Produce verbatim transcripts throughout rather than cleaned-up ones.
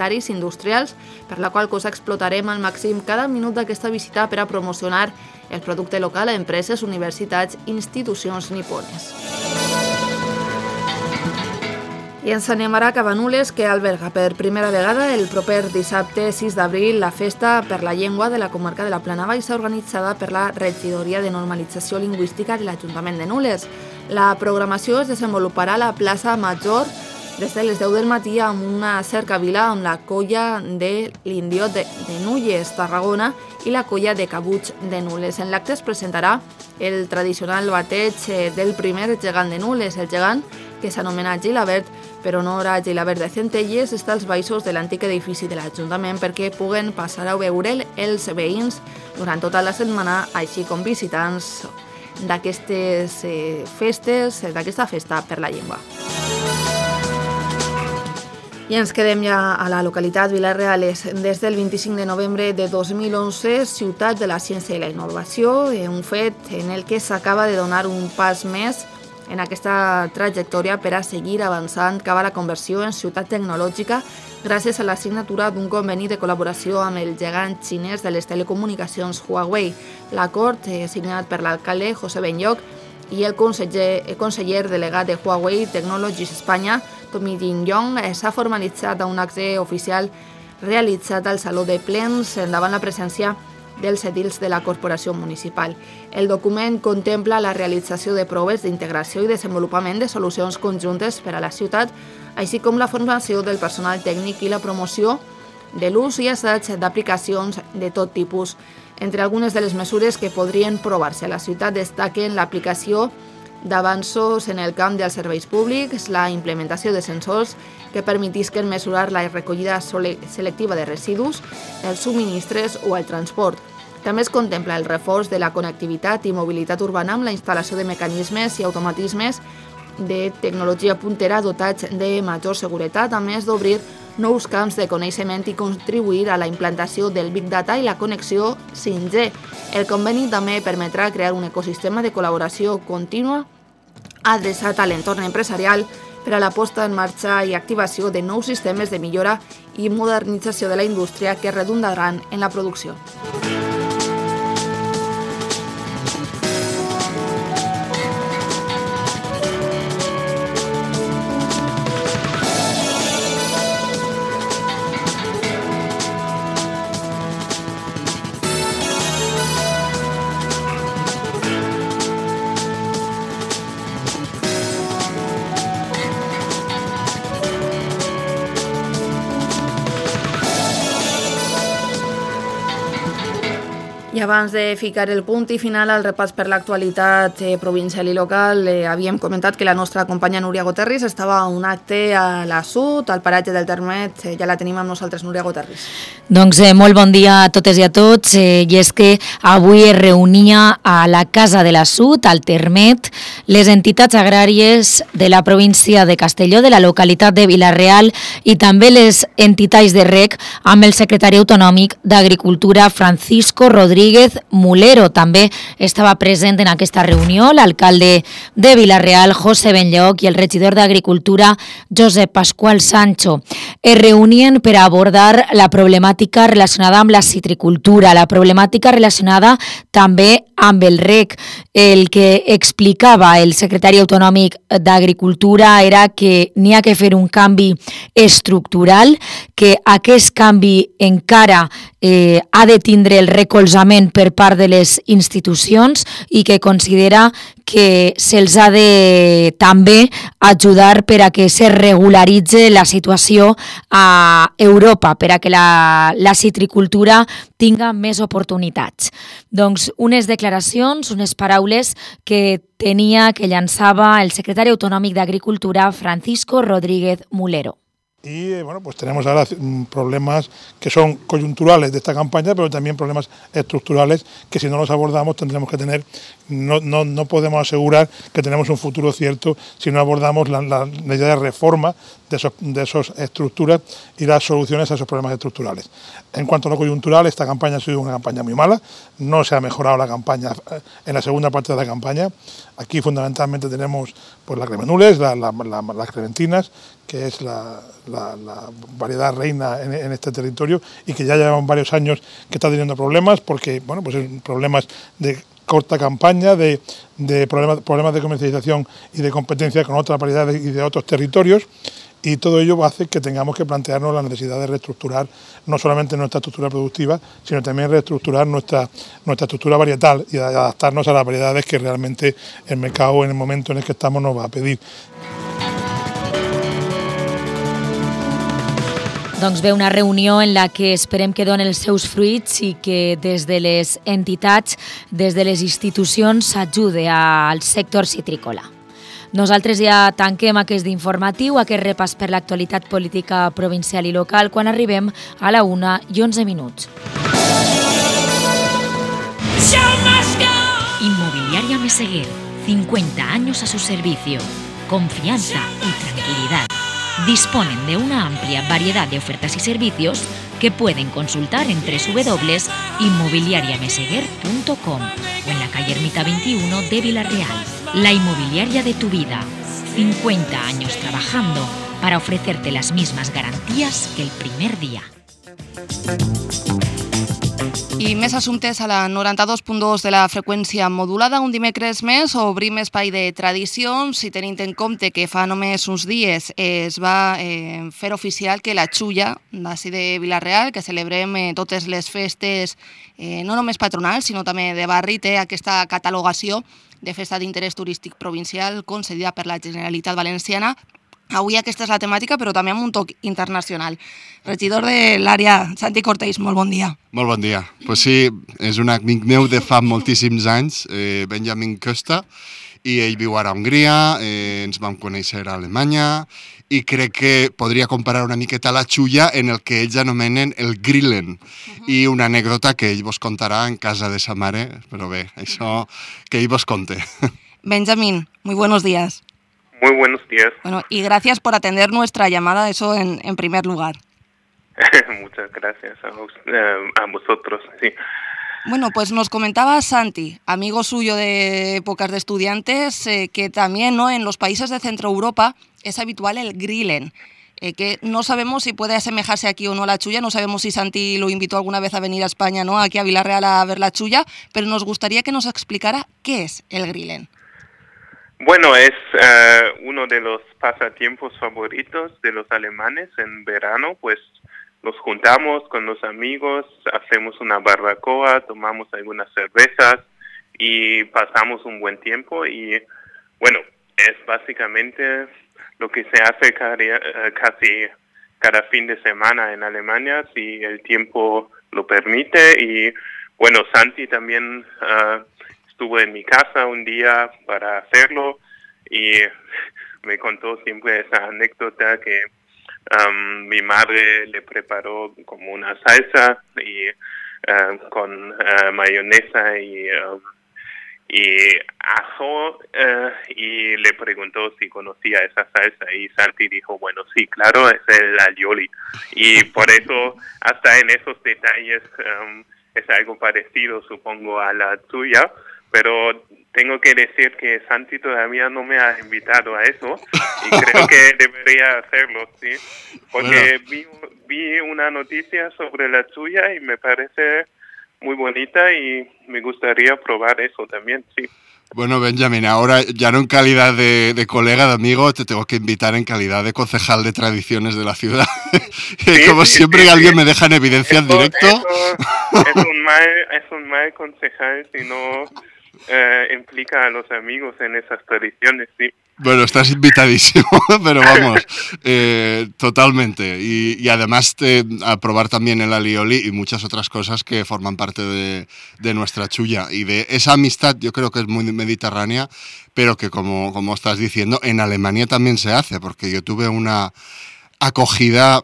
hectàrees industrials, per la qual cosa explotarem al màxim cada minut d'aquesta visita per a promocionar el producte local a empreses, universitats i institucions nipones. I ens anem ara a Cabanules, que alberga per primera vegada el proper dissabte sis d'abril la Festa per la Llengua de la comarca de la Plana Baixa, organitzada per la Regidoria de Normalització Lingüística de l'Ajuntament de Nules. La programació es desenvoluparà a la plaça Major des de les deu del matí amb una cercavila amb la colla de l'Indiot de, de Nulles, Tarragona, i la colla de Cabuig de Nules. En l'acte es presentarà el tradicional bateig del primer gegant de Nules, el gegant que s'anomena Gilabert, per honor a Gilabert de Centelles, està als baixos de l'antic edifici de l'Ajuntament perquè puguen passar a veure'l els veïns durant tota la setmana, així com visitants d'aquestes eh, festes, d'aquesta festa per la llengua. I ens quedem ja a la localitat Vila-real. Des del vint-i-cinc de novembre de dos mil onze, Ciutat de la Ciència i la Innovació, un fet en el que s'acaba de donar un pas més en aquesta trajectòria per a seguir avançant cap a la conversió en ciutat tecnològica gràcies a la signatura d'un conveni de col·laboració amb el gegant xinès de les telecomunicacions Huawei. L'acord, eh, signat per l'alcalde José Benlloch i el conseller, el conseller delegat de Huawei Technologies Espanya, Tommy Jin-yong, s'ha formalitzat a un acte oficial realitzat al Saló de Plens davant la presència dels edils de la corporació municipal. El document contempla la realització de proves d'integració i desenvolupament de solucions conjuntes per a la ciutat, així com la formació del personal tècnic i la promoció de l'ús i assaig d'aplicacions de tot tipus. Entre algunes de les mesures que podrien provar-se a la ciutat destaquen l'aplicació d'avanços en el camp dels serveis públics, la implementació de sensors que permetisquen mesurar la recollida selectiva de residus, els subministres o el transport. També es contempla el reforç de la connectivitat i mobilitat urbana amb la instal·lació de mecanismes i automatismes de tecnologia puntera dotats de major seguretat, a més d'obrir nous camps de coneixement i contribuir a la implantació del Big Data i la connexió cinc G. El conveni també permetrà crear un ecosistema de col·laboració contínua adreçat a l'entorn empresarial per a la posta en marxa i activació de nous sistemes de millora i modernització de la indústria que redundaran en la producció. I abans de ficar el punt i final al repàs per l'actualitat eh, provincial i local, eh, havíem comentat que la nostra companya Núria Goterris estava a un acte a la Sud, al paratge del Termet. Eh, ja la tenim amb nosaltres, Núria Goterris. Doncs eh, molt bon dia a totes i a tots. Eh, I és que avui es reunia a la Casa de la Sud, al Termet, les entitats agràries de la província de Castelló, de la localitat de Vila-real, i també les entitats de reg amb el secretari autonòmic d'Agricultura, Francisco Rodríguez Mulero. També estava present en aquesta reunió l'alcalde de Vila-real, José Benlloch, i el regidor d'Agricultura, Josep Pascual Sancho. Es reunien per abordar la problemàtica relacionada amb la citricultura, la problemàtica relacionada també amb el reg. El que explicava el secretari autonòmic d'Agricultura era que n'hi ha que fer un canvi estructural, que aquest canvi encara eh, ha de tindre el recolzament per part de les institucions i que considera que se'ls ha de també ajudar per a que se regularitze la situació a Europa, per a que la, la citricultura tinga més oportunitats. Doncs unes declaracions, unes paraules que tenia, que llançava el secretari autonòmic d'Agricultura, Francisco Rodríguez Mulero. Y bueno, pues tenemos ahora problemas que son coyunturales de esta campaña, pero también problemas estructurales que si no los abordamos tendremos que tener, no, no, no podemos asegurar que tenemos un futuro cierto si no abordamos la, la, la idea de reforma de esas de esos estructuras y las soluciones a esos problemas estructurales. En cuanto a lo coyuntural, esta campaña ha sido una campaña muy mala, no se ha mejorado la campaña en la segunda parte de la campaña. Aquí fundamentalmente tenemos pues las Gremenules, la, la, la, las Clementinas, que es la, la, la variedad reina en, en este territorio y que ya llevan varios años que está teniendo problemas porque, bueno, pues problemas de corta campaña, de, de problemas, problemas de comercialización y de competencia con otras variedades y de otros territorios. Y todo ello hace que tengamos que plantearnos la necesidad de reestructurar no solamente nuestra estructura productiva, sino también reestructurar nuestra, nuestra estructura varietal y adaptarnos a las variedades que realmente el mercado en el momento en el que estamos nos va a pedir. Doncs ve una reunió en la que esperem que donen els seus fruits i que des de les entitats, des de les institucions, s'ajude al sector citrícola. Nosaltres ja tanquem aquest informatiu, aquest repàs per l'actualitat política provincial i local, quan arribem a la una i onze minuts. Inmobiliaria Meseguer, cincuenta años a su servicio. Confianza y tranquilidad. Disponen de una amplia variedad de ofertas y servicios que pueden consultar en doble u doble u doble u punto inmobiliaria meseguer punto com o en la calle Ermita veintiuno de Vila-real. La inmobiliaria de tu vida. cincuenta años trabajando para ofrecerte las mismas garantías que el primer día. I més assumptes a la noranta-dos punt dos de la freqüència modulada. Un dimecres més obrim espai de tradicions i tenint en compte que fa només uns dies es va eh, fer oficial que la Xulla d'ací de Vila-real, que celebrem eh, totes les festes eh, no només patronals sinó també de barri, té aquesta catalogació de festa d'interès turístic provincial concedida per la Generalitat Valenciana. Avui aquesta és la temàtica, però també amb un toc internacional. Regidor de l'àrea, Santi Cortells, molt bon dia. Molt bon dia. Pues sí, és un amic meu de fa moltíssims anys, eh, Benjamin Costa, i ell viu ara a Hongria, eh, ens vam conèixer a Alemanya, i crec que podria comparar una miqueta la Xulla en el que ells anomenen el Grillen. Uh-huh. I una anècdota que ell vos contarà en casa de sa mare, però bé, això que ell vos conte. Benjamin, muy buenos días. Muy buenos días. Bueno, y gracias por atender nuestra llamada, eso en, en primer lugar. Muchas gracias a, vos, eh, a vosotros, sí. Bueno, pues nos comentaba Santi, amigo suyo de épocas de estudiantes, eh, que también, ¿no?, en los países de Centro Europa es habitual el Grillen, eh, que no sabemos si puede asemejarse aquí o no a la Xulla, no sabemos si Santi lo invitó alguna vez a venir a España, ¿no?, aquí a Vila-real a ver la Xulla, pero nos gustaría que nos explicara qué es el Grillen. Bueno, es uh, uno de los pasatiempos favoritos de los alemanes en verano, pues nos juntamos con los amigos, hacemos una barbacoa, tomamos algunas cervezas y pasamos un buen tiempo y bueno, es básicamente lo que se hace casi, casi cada fin de semana en Alemania, si el tiempo lo permite. Y bueno, Santi también uh, estuvo en mi casa un día para hacerlo y me contó siempre esa anécdota que um, mi madre le preparó como una salsa y uh, con uh, mayonesa y, um, y ajo uh, y le preguntó si conocía esa salsa y Santi dijo, bueno, sí, claro, es el alioli. Y por eso hasta en esos detalles um, es algo parecido, supongo, a la tuya, pero tengo que decir que Santi todavía no me ha invitado a eso y creo que debería hacerlo, sí, porque bueno. vi, vi una noticia sobre la Xulla y me parece muy bonita y me gustaría probar eso también, sí. Bueno, Benjamin, ahora ya no en calidad de, de colega, de amigo, te tengo que invitar en calidad de concejal de tradiciones de la ciudad. Sí, Como sí, siempre sí, alguien sí. me deja en evidencia eso, en directo. Eso, es, un mal, es un mal concejal si no eh, implica a los amigos en esas tradiciones, sí. Bueno, estás invitadísimo, pero vamos, eh, totalmente. Y, y además te, a probar también el alioli y muchas otras cosas que forman parte de, de nuestra Xulla. Y de esa amistad yo creo que es muy mediterránea, pero que como, como estás diciendo, en Alemania también se hace, porque yo tuve una acogida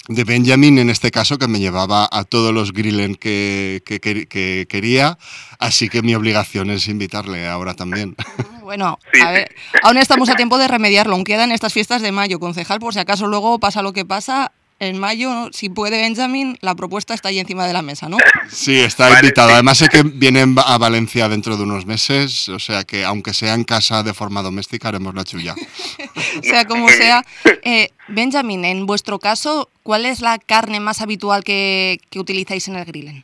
de Benjamin, en este caso, que me llevaba a todos los Grillen que, que, que, que quería, así que mi obligación es invitarle ahora también. Bueno, a ver, aún estamos a tiempo de remediarlo, aún quedan estas fiestas de mayo, concejal, por si acaso luego pasa lo que pasa, en mayo, ¿no? Si puede Benjamín, la propuesta está ahí encima de la mesa, ¿no? Sí, está vale, invitado. Sí. Además sé que vienen a Valencia dentro de unos meses, o sea que aunque sea en casa de forma doméstica, haremos la chulla. Sea como sea. Eh, Benjamín, en vuestro caso, ¿cuál es la carne más habitual que, que utilizáis en el grillen?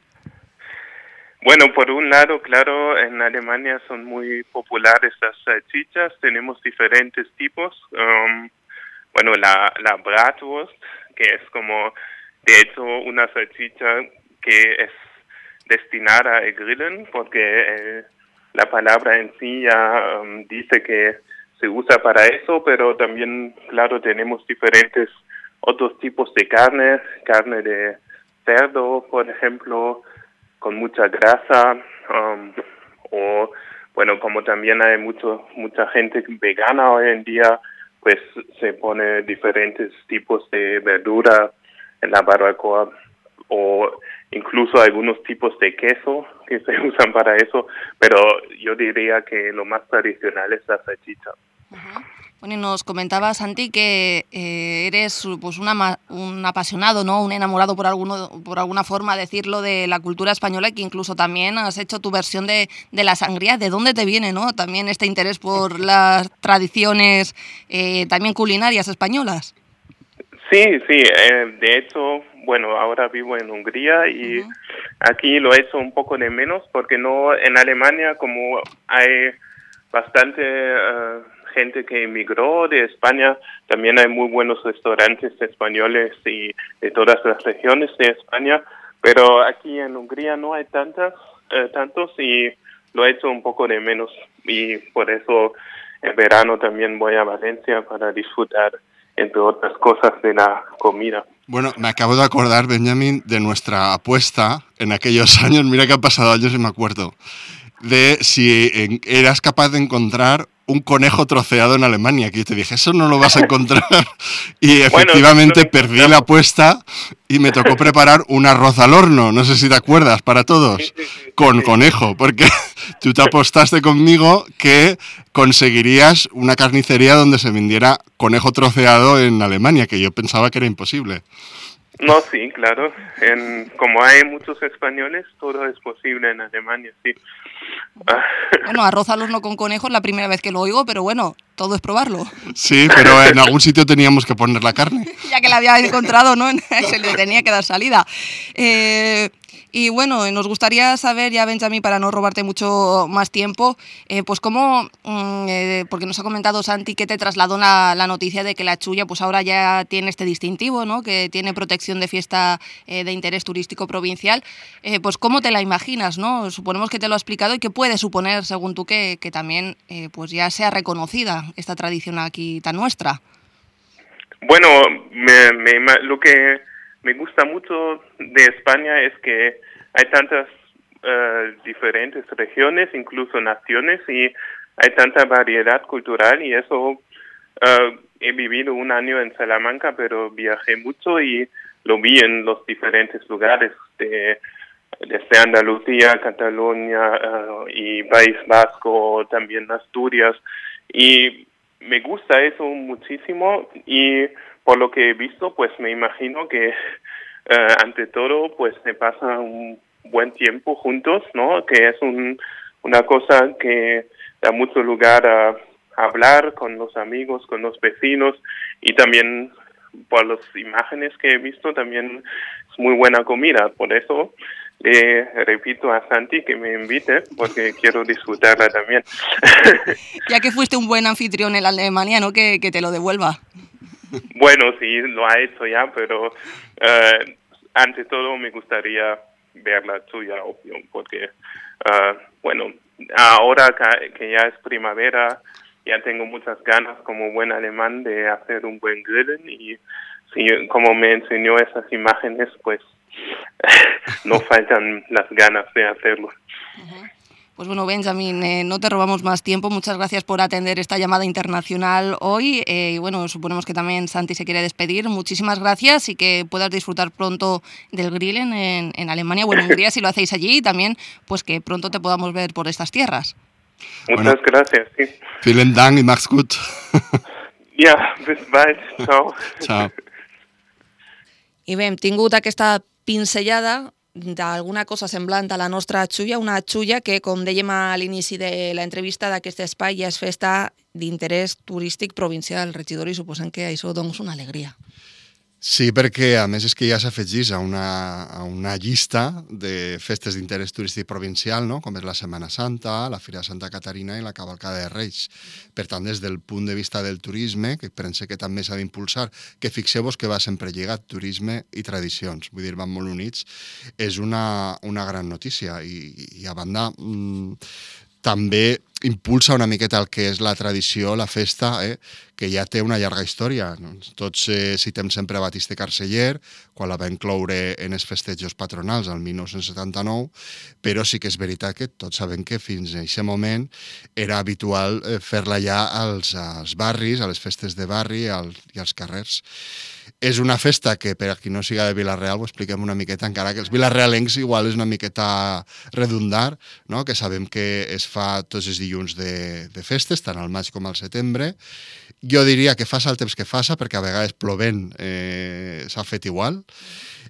Bueno, por un lado, claro, en Alemania son muy populares las salchichas, tenemos diferentes tipos. Um, bueno, la, la Bratwurst, que es como, de hecho, una salchicha que es destinada al grillen, porque eh, la palabra en sí ya um, dice que se usa para eso, pero también, claro, tenemos diferentes otros tipos de carne, carne de cerdo, por ejemplo, con mucha grasa, um, o bueno, como también hay mucho mucha gente vegana hoy en día, pues se pone diferentes tipos de verdura en la barbacoa, o incluso algunos tipos de queso que se usan para eso, pero yo diría que lo más tradicional es la salchicha. Uh-huh. Bueno, y nos comentaba, Santi, que eh, eres pues una, un apasionado, ¿no? Un enamorado, por alguno, por alguna forma decirlo, de la cultura española, y que incluso también has hecho tu versión de, de la sangría. ¿De dónde te viene, no? También este interés por las tradiciones eh, también culinarias españolas. Sí, sí. Eh, de hecho, bueno, ahora vivo en Hungría y uh-huh. aquí lo he hecho un poco de menos, porque no en Alemania, como hay bastante Uh, gente que emigró de España, también hay muy buenos restaurantes españoles y de todas las regiones de España, pero aquí en Hungría no hay tantas, eh, tantos y lo he hecho un poco de menos, y por eso en verano también voy a Valencia para disfrutar, entre otras cosas, de la comida. Bueno, me acabo de acordar, Benjamín, de nuestra apuesta en aquellos años, mira que han pasado años y me acuerdo, de si eras capaz de encontrar un conejo troceado en Alemania, que yo te dije, eso no lo vas a encontrar, y efectivamente bueno, perdí la apuesta y me tocó preparar un arroz al horno, no sé si te acuerdas, para todos, sí, sí, sí, con sí. conejo, porque tú te apostaste conmigo que conseguirías una carnicería donde se vendiera conejo troceado en Alemania, que yo pensaba que era imposible. No, sí, claro. En, como hay muchos españoles, todo es posible en Alemania, sí. Bueno, arroz al horno con conejo es la primera vez que lo oigo, pero bueno, todo es probarlo. Sí, pero en algún sitio teníamos que poner la carne. Ya que la había encontrado, ¿no? Se le tenía que dar salida. Eh... Y bueno, nos gustaría saber, ya Benjamín, para no robarte mucho más tiempo, eh, pues cómo, eh, porque nos ha comentado Santi que te trasladó la, la noticia de que la chulla pues ahora ya tiene este distintivo, ¿no? Que tiene protección de fiesta eh, de interés turístico provincial. Eh, pues cómo te la imaginas, ¿no? Suponemos que te lo ha explicado, y qué puede suponer, según tú, que, que también eh, pues ya sea reconocida esta tradición aquí tan nuestra. Bueno, me, me, lo que me gusta mucho de España es que hay tantas uh, diferentes regiones, incluso naciones, y hay tanta variedad cultural, y eso uh, he vivido un año en Salamanca, pero viajé mucho y lo vi en los diferentes lugares, de, desde Andalucía, Cataluña uh, y País Vasco, también Asturias, y me gusta eso muchísimo, y por lo que he visto, pues me imagino que uh, ante todo, pues se pasa un buen tiempo juntos, ¿no? Que es un, una cosa que da mucho lugar a, a hablar con los amigos, con los vecinos, y también por las imágenes que he visto, también es muy buena comida. Por eso le repito a Santi que me invite, porque quiero disfrutarla también. Ya que fuiste un buen anfitrión en Alemania, ¿no? Que, que te lo devuelva. Bueno, sí, lo ha hecho ya, pero uh, ante todo me gustaría ver la tuya, obvio, porque, uh, bueno, ahora que ya es primavera, ya tengo muchas ganas como buen alemán de hacer un buen grillen, y sí, como me enseñó esas imágenes, pues no faltan las ganas de hacerlo. Uh-huh. Pues bueno, Benjamín, eh, no te robamos más tiempo. Muchas gracias por atender esta llamada internacional hoy. Eh, y bueno, suponemos que también Santi se quiere despedir. Muchísimas gracias, y que puedas disfrutar pronto del grillen en, en Alemania, bueno, en Hungría, si lo hacéis allí, y también pues que pronto te podamos ver por estas tierras. Muchas bueno, gracias. Sí. Vielen Dank y mach's gut. Ja, bis bald. Ciao. Ciao. I bé, hem tingut aquesta pinzellada d'alguna cosa semblant a la nostra xulla, una xulla que, com dèiem a l'inici de l'entrevista d'aquest espai, ja és festa d'interès turístic provincial. Regidor, i suposem que això doncs una alegria. Sí, perquè a més és que ja s'afegís a una, a una llista de festes d'interès turístic provincial, no? Com és la Setmana Santa, la Fira de Santa Caterina i la Cavalcada de Reis. Per tant, des del punt de vista del turisme, que pense que també s'ha d'impulsar, que fixeu-vos que va sempre lligat turisme i tradicions, vull dir, van molt units, és una, una gran notícia. I, i a banda, mmm, també impulsa una miqueta el que és la tradició, la festa, eh, que ja té una llarga història. Tots eh, citem sempre Batiste Carceller, quan la va incloure en els festejos patronals el mil nou-cents setanta-nou, però sí que és veritat que tots sabem que fins a aquest moment era habitual eh, fer-la ja als, als barris, a les festes de barri als, i als carrers. És una festa que, per a qui no siga de Vila-real, ho expliquem una miqueta, encara que els vilarealencs igual és una miqueta redundar, no? Que sabem que es fa tots els dilluns de, de festes, tant al maig com al setembre. Jo diria que faça el temps que faça, perquè a vegades plovent eh, s'ha fet igual.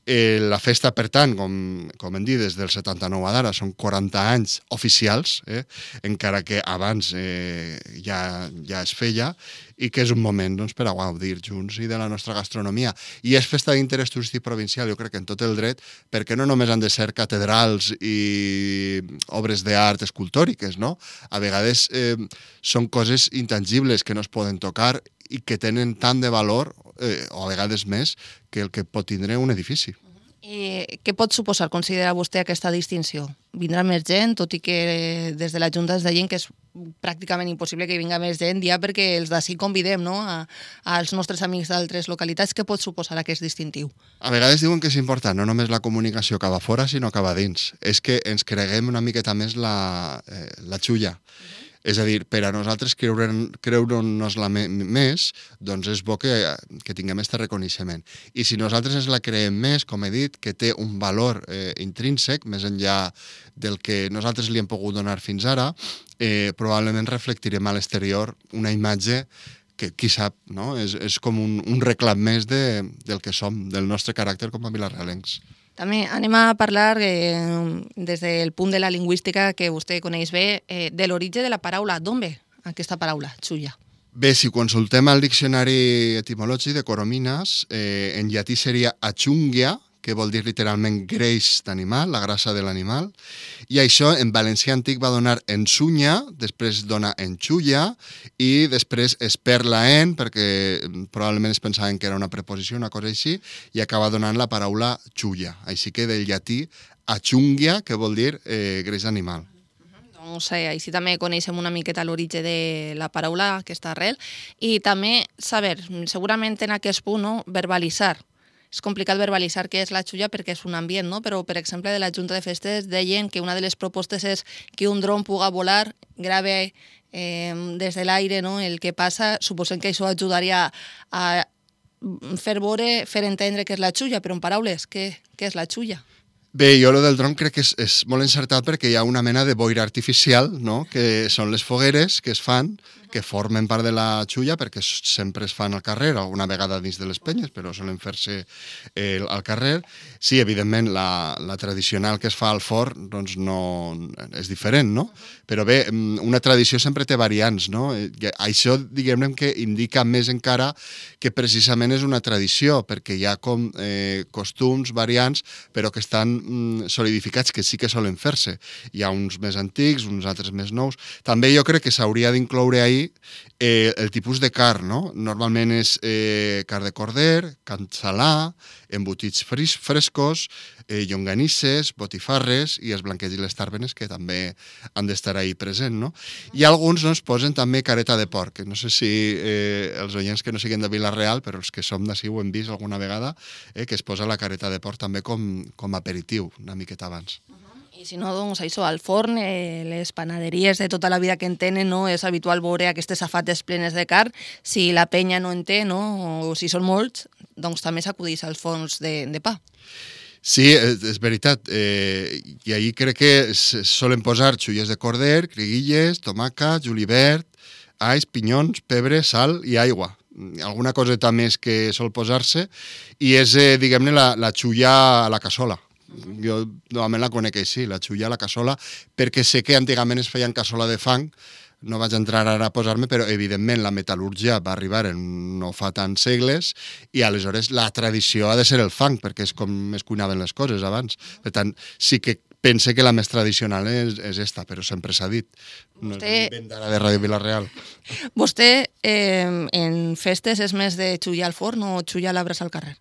Eh, la festa, per tant, com, com hem dit, des del setanta-nou a d'ara, són quaranta anys oficials, eh? Encara que abans eh, ja, ja es feia, i que és un moment doncs, per a gaudir junts i de la nostra gastronomia. I és festa d'interès turístic provincial, jo crec que en tot el dret, perquè no només han de ser catedrals i obres d'art escultòriques, no? A vegades eh, són coses intangibles que no es poden tocar i que tenen tant de valor, eh, o a vegades més, que el que pot tindre un edifici. I què pot suposar, considera vostè, aquesta distinció? Vindrà més gent, tot i que des de la Junta es deien que és pràcticament impossible que vinga més gent, ja perquè els d'ací convidem, no? a, als nostres amics d'altres localitats. Què pot suposar aquest distintiu? A vegades diuen que és important no només la comunicació que va fora, sinó que va dins. És que ens creguem una miqueta més la, eh, la xulla. Uh-huh. És a dir, per a nosaltres creure'n, creure'ns-la més, doncs és bo que, que tinguem aquest reconeixement. I si nosaltres ens la creem més, com he dit, que té un valor eh, intrínsec, més enllà del que nosaltres li hem pogut donar fins ara, eh, probablement reflectirem a l'exterior una imatge que, qui sap, no? és, és com un, un reclam més de, del que som, del nostre caràcter com a vilarealencs. També anem a parlar, eh, des del punt de la lingüística que vostè coneix bé, eh, de l'origen de la paraula. D'on ve aquesta paraula, xulla? Bé, si consultem el diccionari etimològic de Coromines, eh, en llatí seria achungia, que vol dir literalment greix d'animal, la grassa de l'animal, i això en valencià antic va donar ensunya, després dona enxulla, i després es perd la en, perquè probablement es pensaven que era una preposició, una cosa així, i acaba donant la paraula xulla. Així que del llatí achungia, que vol dir eh, greix d'animal. Doncs eh, així també coneixem una miqueta l'origen de la paraula, aquesta arrel, i també saber, segurament en aquest punt, no, verbalitzar. És complicat verbalitzar què és la xulla perquè és un ambient, no? Però, per exemple, de la Junta de Festes deien que una de les propostes és que un dron puga volar, grave eh, des de l'aire, no? El que passa. Suposem que això ajudaria a fer veure, fer entendre què és la xulla, però en paraules, què, què és la xulla? Bé, jo lo del dron crec que és, és molt encertat perquè hi ha una mena de boira artificial, no? Que són les fogueres que es fan, que formen part de la xulla perquè sempre es fan al carrer, alguna vegada dins de les penyes, però solen fer-se eh, al carrer. Sí, evidentment, la, la tradicional que es fa al forn doncs no, és diferent, no? Però bé, una tradició sempre té variants, no? Això, diguem-ne, que indica més encara que precisament és una tradició, perquè hi ha com eh, costums, variants, però que estan mm, solidificats, que sí que solen fer-se. Hi ha uns més antics, uns altres més nous. També jo crec que s'hauria d'incloure ahir Eh, el tipus de carn, no? Normalment és eh, carn de corder, carn salà, embotits fris, frescos, eh, llonganisses, botifarres i els blanquets i les tàrbenes que també han d'estar ahí present, no? I alguns doncs, posen també careta de porc. No sé si eh, els oients que no siguin de Vila-real, però els que som d'ací ho hem vist alguna vegada, eh, que es posa la careta de porc també com, com aperitiu, una miqueta abans. I si no, doncs això, al forn, eh, les panaderies de tota la vida que en tenen, no? És habitual veure aquestes safates plenes de carn. Si la penya no en té, no? O si són molts, doncs també s'acudeix als forns de, de pa. Sí, és, és veritat. Eh, I ahir crec que es solen posar xulles de corder, criguilles, tomàquet, julivert, alls, pinyons, pebre, sal i aigua. alguna coseta més que sol posar-se, i és, eh, diguem-ne, la, la xulla a la cassola. Jo normalment la conec així, la xulla a la cassola, perquè sé que antigament es feien cassola de fang, no vaig entrar ara a posar-me, però evidentment la metal·lúrgia va arribar en no fa tants segles i aleshores la tradició ha de ser el fang, perquè és com es cuinaven les coses abans. Per tant, sí que pense que la més tradicional és, és esta, però sempre s'ha dit. No Vostè... és invent d'ara de Ràdio Vila-real. Vostè eh, en festes és més de xullar al forn o xullar l'arbre al carrer?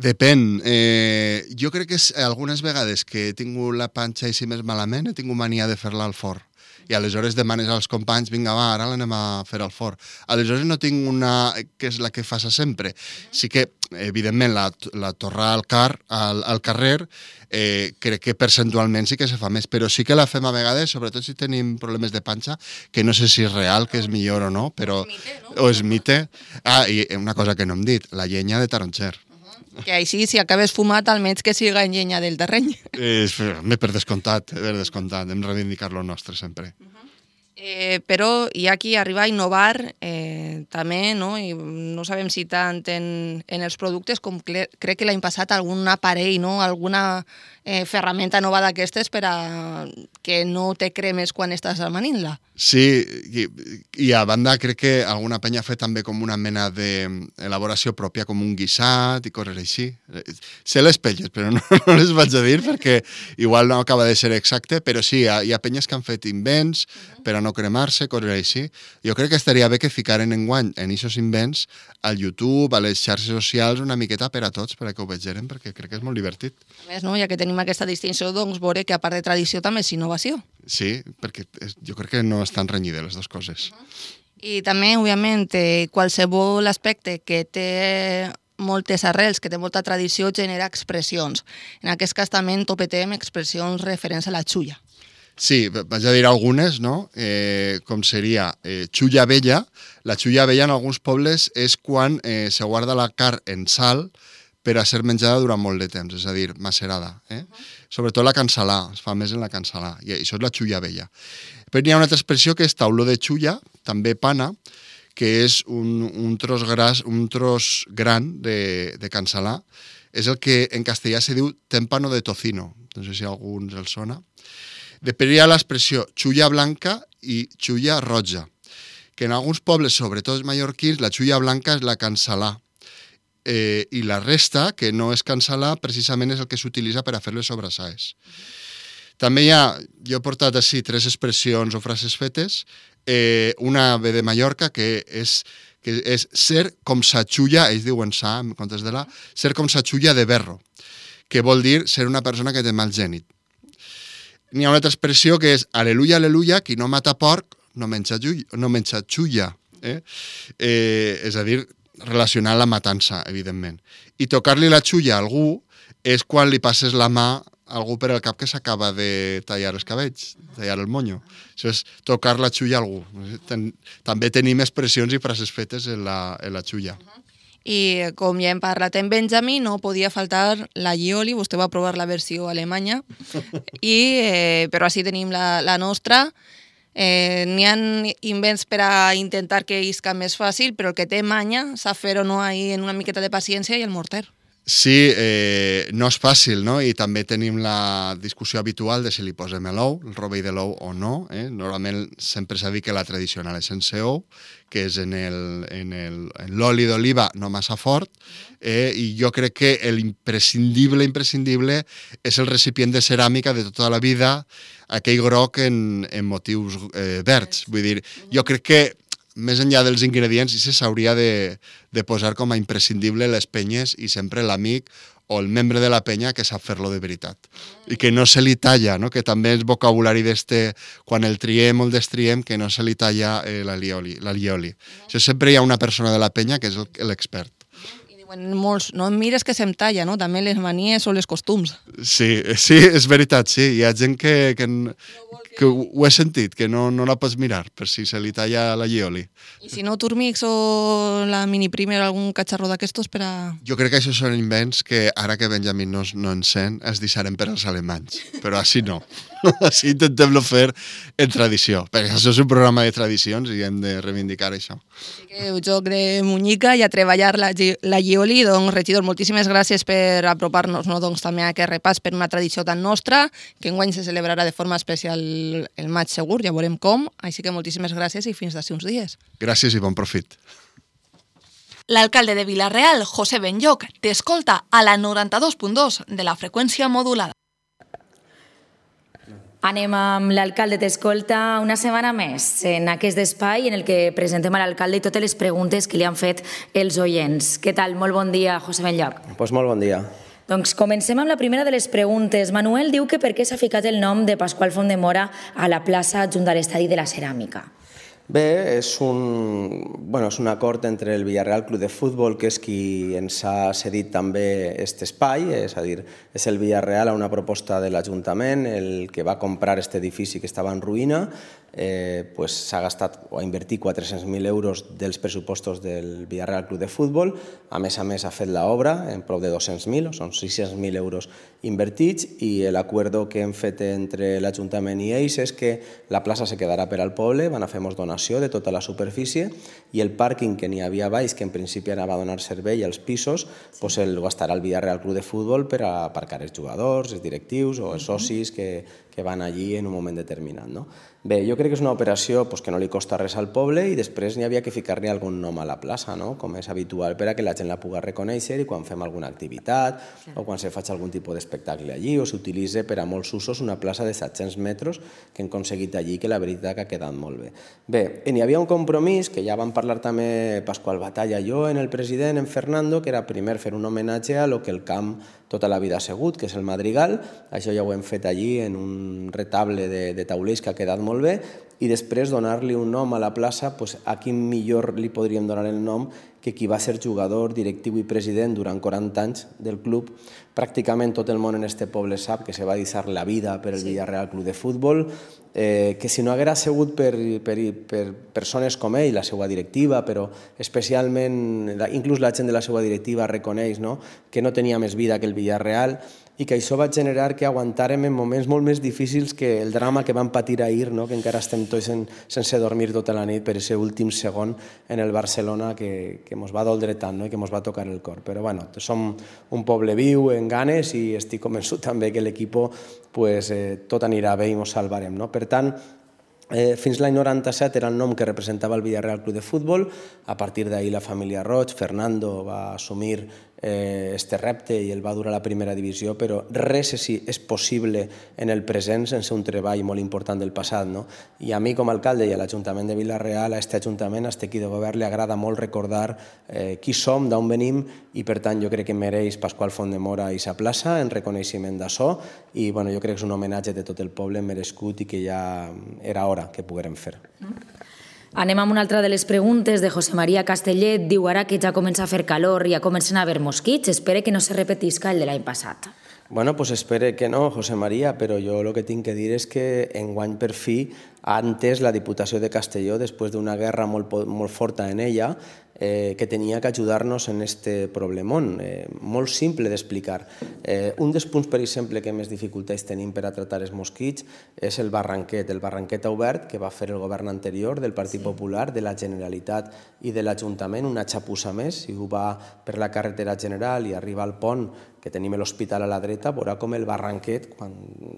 Depèn. Eh, jo crec que és, algunes vegades que he tingut la panxa així més malament, he tingut mania de fer-la al forn. I aleshores demanes als companys, vinga, va, ara l'anem a fer al forn. Aleshores no tinc una que és la que fas sempre. Sí que, evidentment, la, la torrar al, car, al, al carrer, eh, crec que percentualment sí que se fa més, però sí que la fem a vegades, sobretot si tenim problemes de panxa, que no sé si és real, que és millor o no, però... O és mite, no? O és mite. Ah, i una cosa que no hem dit, la llenya de taronxer. Que així, si acabes fumat, almenys que siga en llenya del terreny. Eh, per descomptat, per descomptat. Hem de reivindicar lo nostre sempre. Uh -huh. eh, però hi ha qui arriba a innovar eh, també, no? I no sabem si tant en, en els productes com crec que l'any passat algun aparell, no? Alguna eh, ferramenta nova d'aquestes per a que no te cremes quan estàs amanint-la. Sí, i, i a banda crec que alguna penya ha fet també com una mena d'elaboració pròpia, com un guisat i coses així. Sé les pelles, però no, no les vaig a dir perquè igual no acaba de ser exacte, però sí, hi ha, hi ha penyes que han fet invents per a no cremar-se, coses així. Jo crec que estaria bé que ficaren enguany en aquests invents al YouTube, a les xarxes socials, una miqueta per a tots, per a que ho vegeren, perquè crec que és molt divertit. A més, no? Ja que tenim aquesta distinció, doncs veure que a part de tradició també és innovació. Sí, perquè jo crec que no estan renyides les dues coses. Uh -huh. I també, òbviament, qualsevol aspecte que té moltes arrels, que té molta tradició, genera expressions. En aquest cas també topetem expressions referents a la xulla. Sí, vaig a dir algunes, no? Eh, com seria eh, xulla vella. La xulla vella en alguns pobles és quan eh, se guarda la carn en sal per a ser menjada durant molt de temps, és a dir, macerada. Eh? Uh -huh. Sobretot la cansalà, es fa més en la cansalà, i això és la xulla vella. Però hi ha una altra expressió que és tauló de xulla, també pana, que és un, un tros gras, un tros gran de, de cansalà. És el que en castellà se diu témpano de tocino, no sé si a alguns els sona. Després hi ha l'expressió xulla blanca i xulla roja, que en alguns pobles, sobretot els mallorquins, la xulla blanca és la cansalà. Eh, i la resta, que no és cansalà, precisament és el que s'utilitza per a fer les sobrassaes. També hi ha, jo he portat així tres expressions o frases fetes, eh, una ve de Mallorca, que és, que és ser com sa xulla, ells diuen sa, en comptes de la, ser com sa xulla de berro, que vol dir ser una persona que té mal gènit. N'hi ha una altra expressió que és aleluia, aleluia, qui no mata porc no menja, no menja xulla. Eh? Eh, és a dir, relacionar la matança, evidentment. I tocar-li la xulla a algú és quan li passes la mà a algú per al cap que s'acaba de tallar els cabells, tallar el monyo. Això és tocar la xulla a algú. Ten, també tenim expressions i frases fetes en la, en la xulla. I com ja hem parlat en Benjamí, no podia faltar la Lioli, vostè va provar la versió alemanya, i, eh, però així tenim la, la nostra. Eh, n'hi ha invents per a intentar que isca més fàcil, però el que té manya sap fer-ho no ahí en una miqueta de paciència i el morter. Sí, eh, no és fàcil, no? I també tenim la discussió habitual de si li posem l'ou, el rovell de l'ou o no. Eh? Normalment sempre s'ha dit que la tradicional és sense ou, que és en el, en el, en l'oli d'oliva no massa fort, eh? I jo crec que l'imprescindible, imprescindible és el recipient de ceràmica de tota la vida, aquell groc en, en motius eh, verds. Vull dir, jo crec que més enllà dels ingredients, i s'hauria de, de posar com a imprescindible les penyes i sempre l'amic o el membre de la penya que sap fer-lo de veritat. I que no se li talla, no? Que també és vocabulari d'este, quan el triem o el destriem, que no se li talla eh, la lioli. La lioli. Això sempre hi ha una persona de la penya que és l'expert. I diuen molts, no mires que se'm talla, no? També les manies o les costums. Sí, sí, és veritat, sí. Hi ha gent que, que, no que... que ho he sentit, que no, no la pots mirar per si se li talla la lioli. I si no, Turmix o la Mini Primer, algun catxarró d'aquestos per a... Jo crec que això són invents que ara que Benjamín no, no en sent es deixarem per als alemanys, però així no. Així intentem-lo fer en tradició, perquè això és un programa de tradicions i hem de reivindicar això. Així que el joc de Munyica i a treballar la, la Llioli. Doncs, regidor, moltíssimes gràcies per apropar-nos no, doncs, també a aquest repàs per una tradició tan nostra, que enguany se celebrarà de forma especial el maig segur, ja veurem com. Així que moltíssimes gràcies i fins d'ací uns dies. Gràcies i bon profit. L'alcalde de Vila-real, José Benlloc, t'escolta a la noranta-dos punt dos de la freqüència modulada. Anem amb l'alcalde t'escolta una setmana més en aquest espai en el que presentem a l'alcalde i totes les preguntes que li han fet els oients. Què tal? Molt bon dia, José Benlloc. Pues molt bon dia. Doncs comencem amb la primera de les preguntes. Manuel diu que per què s'ha ficat el nom de Pasqual Fontdemora a la plaça junt a l'estadi de la Ceràmica. Bé, és un, bueno, és un acord entre el Villarreal Club de Futbol, que és qui ens ha cedit també aquest espai, és a dir, és el Villarreal a una proposta de l'Ajuntament, el que va comprar aquest edifici que estava en ruïna, eh, pues, s'ha gastat o ha invertit quatre-cents mil euros dels pressupostos del Villarreal Club de Futbol, a més a més ha fet l'obra en prop de dos-cents mil, són sis-cents mil euros invertits, i l'acord que hem fet entre l'Ajuntament i ells és que la plaça se quedarà per al poble, van a fer molts donació de tota la superfície, i el pàrquing que n'hi havia baix, que en principi anava a donar servei als pisos, pues el gastarà el Villarreal Club de Futbol per a aparcar els jugadors, els directius o els socis que, que van allí en un moment determinat. No? Bé, jo crec que és una operació pues, que no li costa res al poble, i després n'hi havia que ficar-li algun nom a la plaça, no? Com és habitual, per a que la gent la pugui reconèixer i quan fem alguna activitat o quan se faig algun tipus d'espectacle allí, o s'utilitza per a molts usos una plaça de set-cents metres que hem aconseguit allí, que la veritat que ha quedat molt bé. Bé, n'hi havia un compromís, que ja vam parlar també Pasqual Batalla i jo, en el president, en Fernando, que era primer fer un homenatge a lo que el camp tota la vida ha sigut, que és el Madrigal. Això ja ho hem fet allí en un retable de, de taulells que ha quedat molt bé, i després donar-li un nom a la plaça, pues, a quin millor li podríem donar el nom que qui va ser jugador, directiu i president durant quaranta anys del club. Pràcticament tot el món en este poble sap que se va deixar la vida per el Villarreal Club de Futbol, eh, que si no haguera sigut per, per, per persones com ell, la seva directiva, però especialment, inclús la gent de la seva directiva reconeix, no?, que no tenia més vida que el Villarreal, i que això va generar que aguantàrem en moments molt més difícils que el drama que vam patir ahir, no? Que encara estem tots en, sense dormir tota la nit per aquest últim segon en el Barcelona que, que mos va doldre tant, no? I que mos va tocar el cor. Però bueno, som un poble viu, en ganes, i estic convençut també que l'equip pues, eh, tot anirà bé i mos salvarem. No? Per tant, Eh, fins l'any noranta-set era el nom que representava el Villarreal Club de Futbol. A partir d'ahir la família Roig, Fernando, va assumir eh, este repte i el va dur a la primera divisió, però res és, és possible en el present sense un treball molt important del passat. No? I a mi com a alcalde i a l'Ajuntament de Vila-real, a aquest Ajuntament, a aquest equip de govern, li agrada molt recordar eh, qui som, d'on venim, i per tant jo crec que mereix Pasqual Fontdemora i sa plaça en reconeixement d'això, i bueno, jo crec que és un homenatge de tot el poble merescut i que ja era hora que poguérem fer. Anem amb una altra de les preguntes de José María Castellet. Diu ara que ja comença a fer calor i ja comencen a haver mosquits. Espere que no se repetisca el de l'any passat. Bueno, pues espere que no, José María, però jo el que tinc que dir és que enguany per fi ha entès la Diputació de Castelló, després d'una guerra molt, molt forta en ella, eh, que tenia que ajudar-nos en este problemón, eh, molt simple d'explicar. Eh, un dels punts, per exemple, que més dificultats tenim per a tractar els mosquits és el barranquet, el barranquet obert que va fer el govern anterior del Partit sí. Popular, de la Generalitat i de l'Ajuntament, una xapussa més, i ho va per la carretera general i arriba al pont, que tenim l'hospital a la dreta, veurà com el barranquet, quan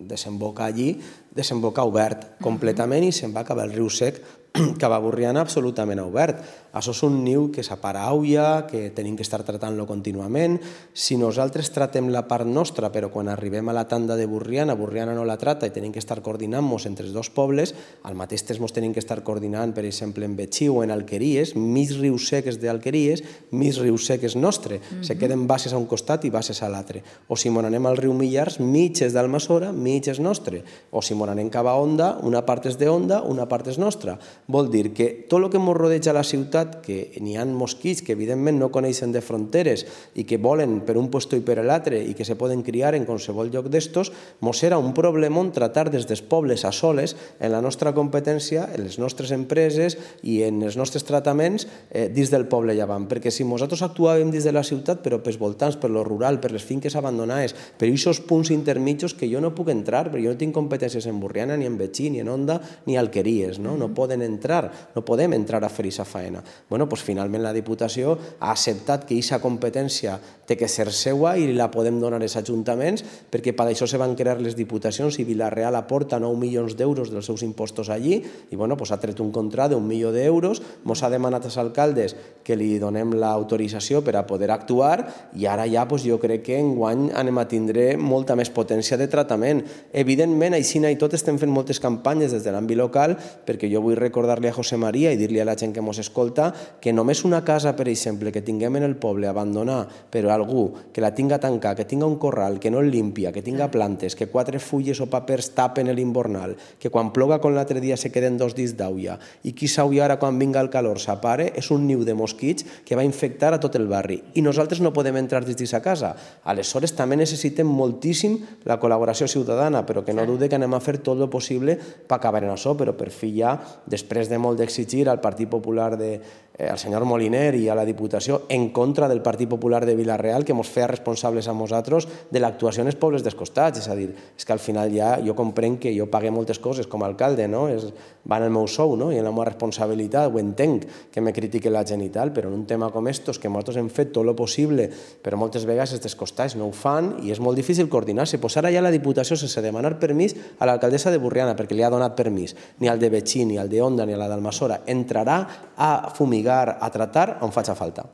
desemboca allí, desemboca obert completament i se'n va acabar el riu sec, que va Borriana absolutament obert. Això és un niu que s'aparauia, que tenim que estar tratant-lo contínuament. Si nosaltres tratem la part nostra, però quan arribem a la tanda de Borriana, Borriana no la trata i tenim que estar coordinant-nos entre els dos pobles, al mateix temps ens tenim que estar coordinant, per exemple, en Betxí o en Alqueries, mig riu sec és d'Alqueries, mig riu sec és nostre. Se queden bases a un costat i bases a l'altre. O si mon anem al riu Millars, mig és d'Almassora, mig és nostre. O si mon anem cap a Onda, una part és d'Onda, una part és nostra. Vol dir que tot el que ens rodeja la ciutat, que n'hi ha mosquits que evidentment no coneixen de fronteres i que volen per un puesto i per l'altre i que se poden criar en qualsevol lloc d'estos, mos serà un problemón tratar des dels pobles a soles en la nostra competència, en les nostres empreses i en els nostres trataments eh, dins del poble llevant. Perquè si nosaltres actuàvem dins de la ciutat, però pels voltants, per lo rural, per les finques abandonades, però aquests punts intermitjos que jo no puc entrar, perquè jo no tinc competències en Burriana, ni en Betxí, ni en Onda, ni Alqueries, no? No poden entrar, no podem entrar a fer aquesta faena. Bueno, doncs finalment la Diputació ha acceptat que aquesta competència té que ser seua i la podem donar als ajuntaments, perquè per això se van crear les diputacions i Vila-real aporta nou milions d'euros dels seus impostos allí i bueno, doncs ha tret un contrat d'un milió d'euros, ens ha demanat als alcaldes que li donem l'autorització per a poder actuar i ara ja doncs, jo crec que enguany anem a tindre molta més potència de tractament. Evidentment, així i tot estem fent moltes campanyes des de l'àmbit local perquè jo vull recordar-li a José María i dir-li a la gent que ens escolta que només una casa, per exemple, que tinguem en el poble abandonar per algú que la tinga tancar, que tinga un corral, que no el limpia, que tinga plantes, que quatre fulles o papers tapen l'invernal, que quan ploga com l'altre dia se queden dos dits d'aulla i qui s'auia ara quan vinga el calor s'apare, és un niu de mosquits que va infectar a tot el barri i nosaltres no podem entrar dins d'aquesta casa. Aleshores també necessitem moltíssim la col·laboració ciutadana, però que no dude que anem a fer tot el possible per acabar en això, però per fi ja, després de molt d'exigir al Partit Popular de eh, al senyor Moliner i a la Diputació en contra del Partit Popular de Vila-real que ens feia responsables a nosaltres de l'actuació en els pobles dels costats, és a dir, és que al final ja jo comprenc que jo pague moltes coses com a alcalde, no? És, va en el meu sou, no? I en la meva responsabilitat, ho entenc que me critique la gent i tal, però en un tema com estos que nosaltres hem fet tot el possible, però moltes vegades els dels costats no ho fan i és molt difícil coordinar-se. Pues ara ja la Diputació, sense demanar permís a l'alcaldessa de Burriana, perquè li ha donat permís, ni al de Betxí, ni al de Onda, ni a la d'Almassora, entrarà a fumigar, a tratar on faci falta.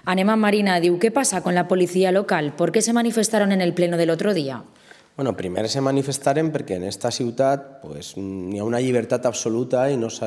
Anem a Marina, diu, ¿qué pasa con la policía local? ¿Por qué se manifestaron en el pleno del otro día? Bueno, primer se manifestaren perquè en esta ciutat pues, hi ha una llibertat absoluta i no se,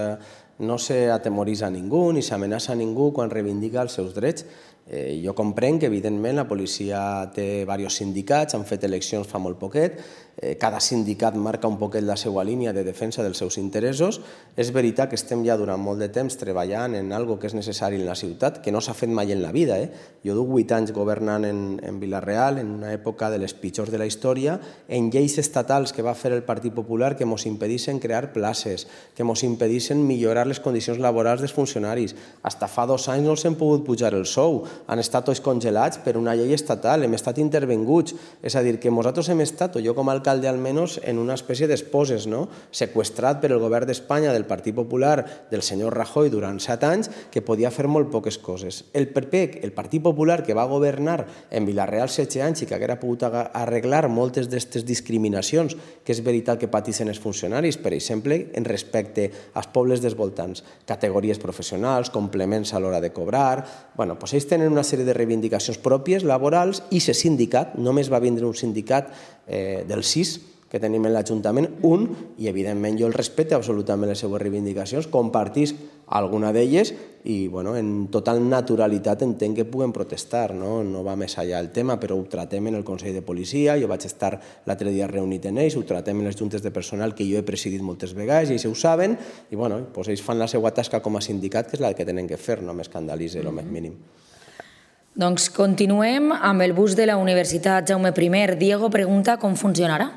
no se atemoritza a ningú ni s'amenaça a ningú quan reivindica els seus drets. Eh, jo comprenc que, evidentment, la policia té diversos sindicats, han fet eleccions fa molt poquet, eh, cada sindicat marca un poquet la seva línia de defensa dels seus interessos. És veritat que estem ja durant molt de temps treballant en algo que és necessari en la ciutat, que no s'ha fet mai en la vida. Eh? Jo duc vuit anys governant en, en Vila-real, en una època de les pitjors de la història, en lleis estatals que va fer el Partit Popular que ens impedissin crear places, que ens impedissin millorar les condicions laborals dels funcionaris. Hasta fa dos anys no els hem pogut pujar el sou, han estat tots congelats per una llei estatal, hem estat intervenguts. És a dir, que nosaltres hem estat, o jo com a alcalde almenys, en una espècie d'esposes, no? Seqüestrat per el govern d'Espanya del Partit Popular del senyor Rajoy durant set anys, que podia fer molt poques coses. El P P, el Partit Popular, que va governar en Vila-real setze anys i que haguera pogut arreglar moltes d'aquestes discriminacions, que és veritat que patissin els funcionaris, per exemple, en respecte als pobles dels voltants, categories professionals, complements a l'hora de cobrar. Bueno, doncs ells tenen una sèrie de reivindicacions pròpies, laborals, i se sindicat, només va vindre un sindicat eh, del sis que tenim en l'Ajuntament, un, i evidentment jo el respecte absolutament les seues reivindicacions, compartisc alguna d'elles i bueno, en total naturalitat entenc que puguem protestar, no? No va més allà el tema, però ho tratem en el Consell de Policia, jo vaig estar l'altre dia reunit en ells, ho tratem en les juntes de personal que jo he presidit moltes vegades i ells ho saben, i bueno, doncs ells fan la seva tasca com a sindicat, que és la que tenen que fer, no m'escandalitza el més mínim. Doncs continuem amb el bus de la Universitat Jaume I. Diego pregunta com funcionarà.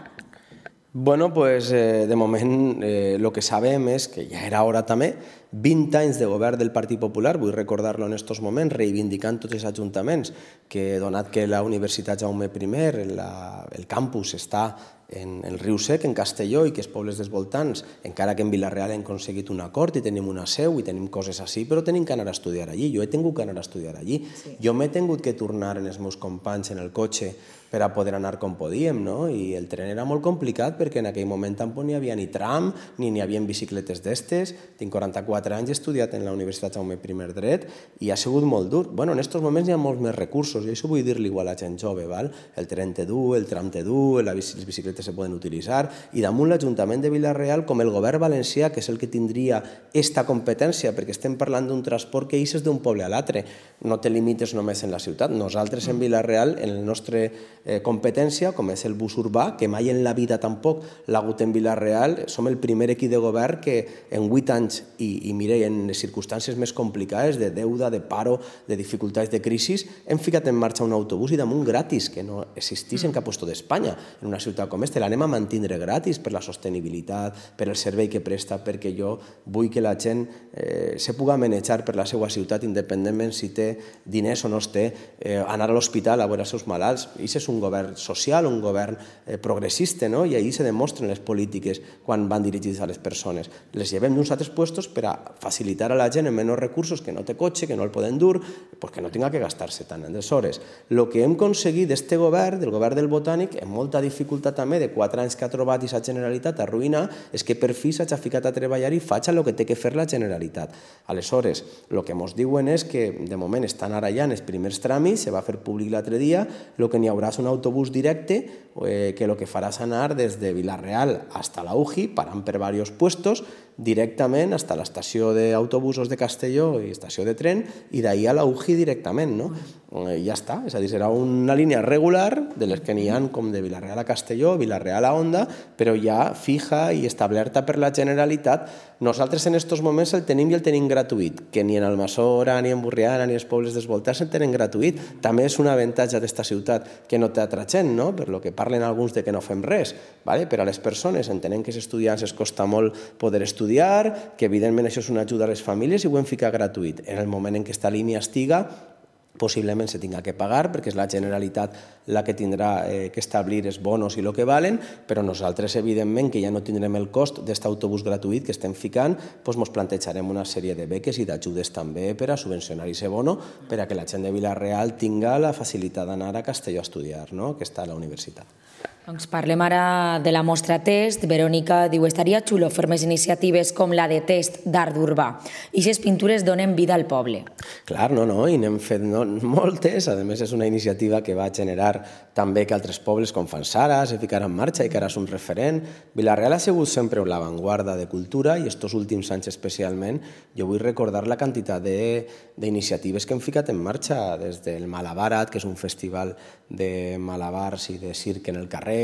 Bueno, pues eh, de moment eh, lo que sabem és que ja era hora també, vint anys de govern del Partit Popular, vull recordar-lo en aquests moments, reivindicant tots els ajuntaments, que donat que la Universitat Jaume I, la, el campus està en el Riu Sec, en Castelló, i que els pobles dels voltants, encara que en Vila-real hem aconseguit un acord i tenim una seu i tenim coses així, però tenim que anar a estudiar allí. Jo he tingut que anar a estudiar allí. Sí. Jo m'he tingut que tornar en els meus companys en el cotxe per a poder anar com podíem, no? I el tren era molt complicat perquè en aquell moment tampoc n'hi havia ni tram, ni n'hi havia bicicletes d'estes. Tinc quaranta-quatre anys, he estudiat en la Universitat Jaume I Dret i ha sigut molt dur. Bueno, en aquests moments hi ha molts més recursos i això vull dir-li igual a la gent jove, val? El tren té dur, el tram té dur, les bicicletes se poden utilitzar, i damunt l'Ajuntament de Vila-real, com el govern valencià, que és el que tindria esta competència, perquè estem parlant d'un transport que eixes d'un poble a l'altre, no te limites només en la ciutat. Nosaltres en Vila-real, en la nostra eh, competència, com és el bus urbà, que mai en la vida tampoc l'ha hagut en Vila-real, som el primer equip de govern que en vuit anys i, i i mire, en les circumstàncies més complicades de deuda, de paro, de dificultats de crisi, hem ficat en marxa un autobús i damunt gratis, que no existís en cap lloc d'Espanya. En una ciutat com aquesta l'anem a mantindre gratis per la sostenibilitat, per el servei que presta, perquè jo vull que la gent eh, se puga manejar per la seva ciutat independentment si té diners o no es té, eh, anar a l'hospital a veure els seus malalts. I és un govern social, un govern eh, progressista, no? I ahir se demostren les polítiques quan van dirigits a les persones. Les llevem d'uns altres puestos per a facilitar a la gent amb menys recursos, que no té cotxe, que no el poden dur, perquè no tinga que gastar-se tant. Aleshores, el que hem aconseguit d'este govern, del govern del Botànic, amb molta dificultat també de quatre anys que ha trobat i la Generalitat a arruïnar, és que per fi s'ha ficat a treballar i faig el que té que fer la Generalitat. Aleshores, el que ens diuen és que de moment estan ara ja en els primers tràmits, se va fer públic l'altre dia, el que n'hi haurà és un autobús directe eh, que el que farà és anar des de Vila-real fins a la U J I, parant per diversos puestos, directament fins a l'estació d'autobusos de Castelló i estació de tren, i d'ahir a la U J I directament, no? Eh, ja està, és a dir, serà una línia regular de les que n'hi ha com de Vila-real a Castelló, Vila-real a Onda, però ja fija i establerta per la Generalitat. Nosaltres en aquests moments el tenim i el tenim gratuït, que ni en Almassora, ni en Burriana, ni els pobles desvoltats el tenen gratuït. També és un avantatge d'esta ciutat que no té altra gent, no? Per lo que parlen alguns de que no fem res, vale? Per a les persones entenem que als estudiants es costa molt poder estudiar, que evidentment això és una ajuda a les famílies i ho hem ficat gratuït. En el moment en què esta línia estiga, possiblement se tinga que pagar, perquè és la Generalitat la que tindrà eh, que establir els bonos i el que valen, però nosaltres, evidentment, que ja no tindrem el cost d'aquest autobús gratuït que estem ficant, doncs ens plantejarem una sèrie de beques i d'ajudes també per a subvencionar aquest bono, per a que la gent de Vila-real tinga la facilitat d'anar a Castelló a estudiar, no? Que està a la universitat. Doncs parlem ara de la mostra Test. Verònica diu, estaria xulo fer més iniciatives com la de Test d'art urbà. I aquestes pintures donen vida al poble. Clar, no, no, i n'hem fet no, moltes. A més, és una iniciativa que va generar també que altres pobles com Fanzara se ficaran en marxa i que ara és un referent. Vila-real ha sigut sempre l'avantguarda de cultura i estos últims anys especialment jo vull recordar la quantitat d'iniciatives que hem ficat en marxa, des del Malabarat, que és un festival de malabars i de circ en el carrer.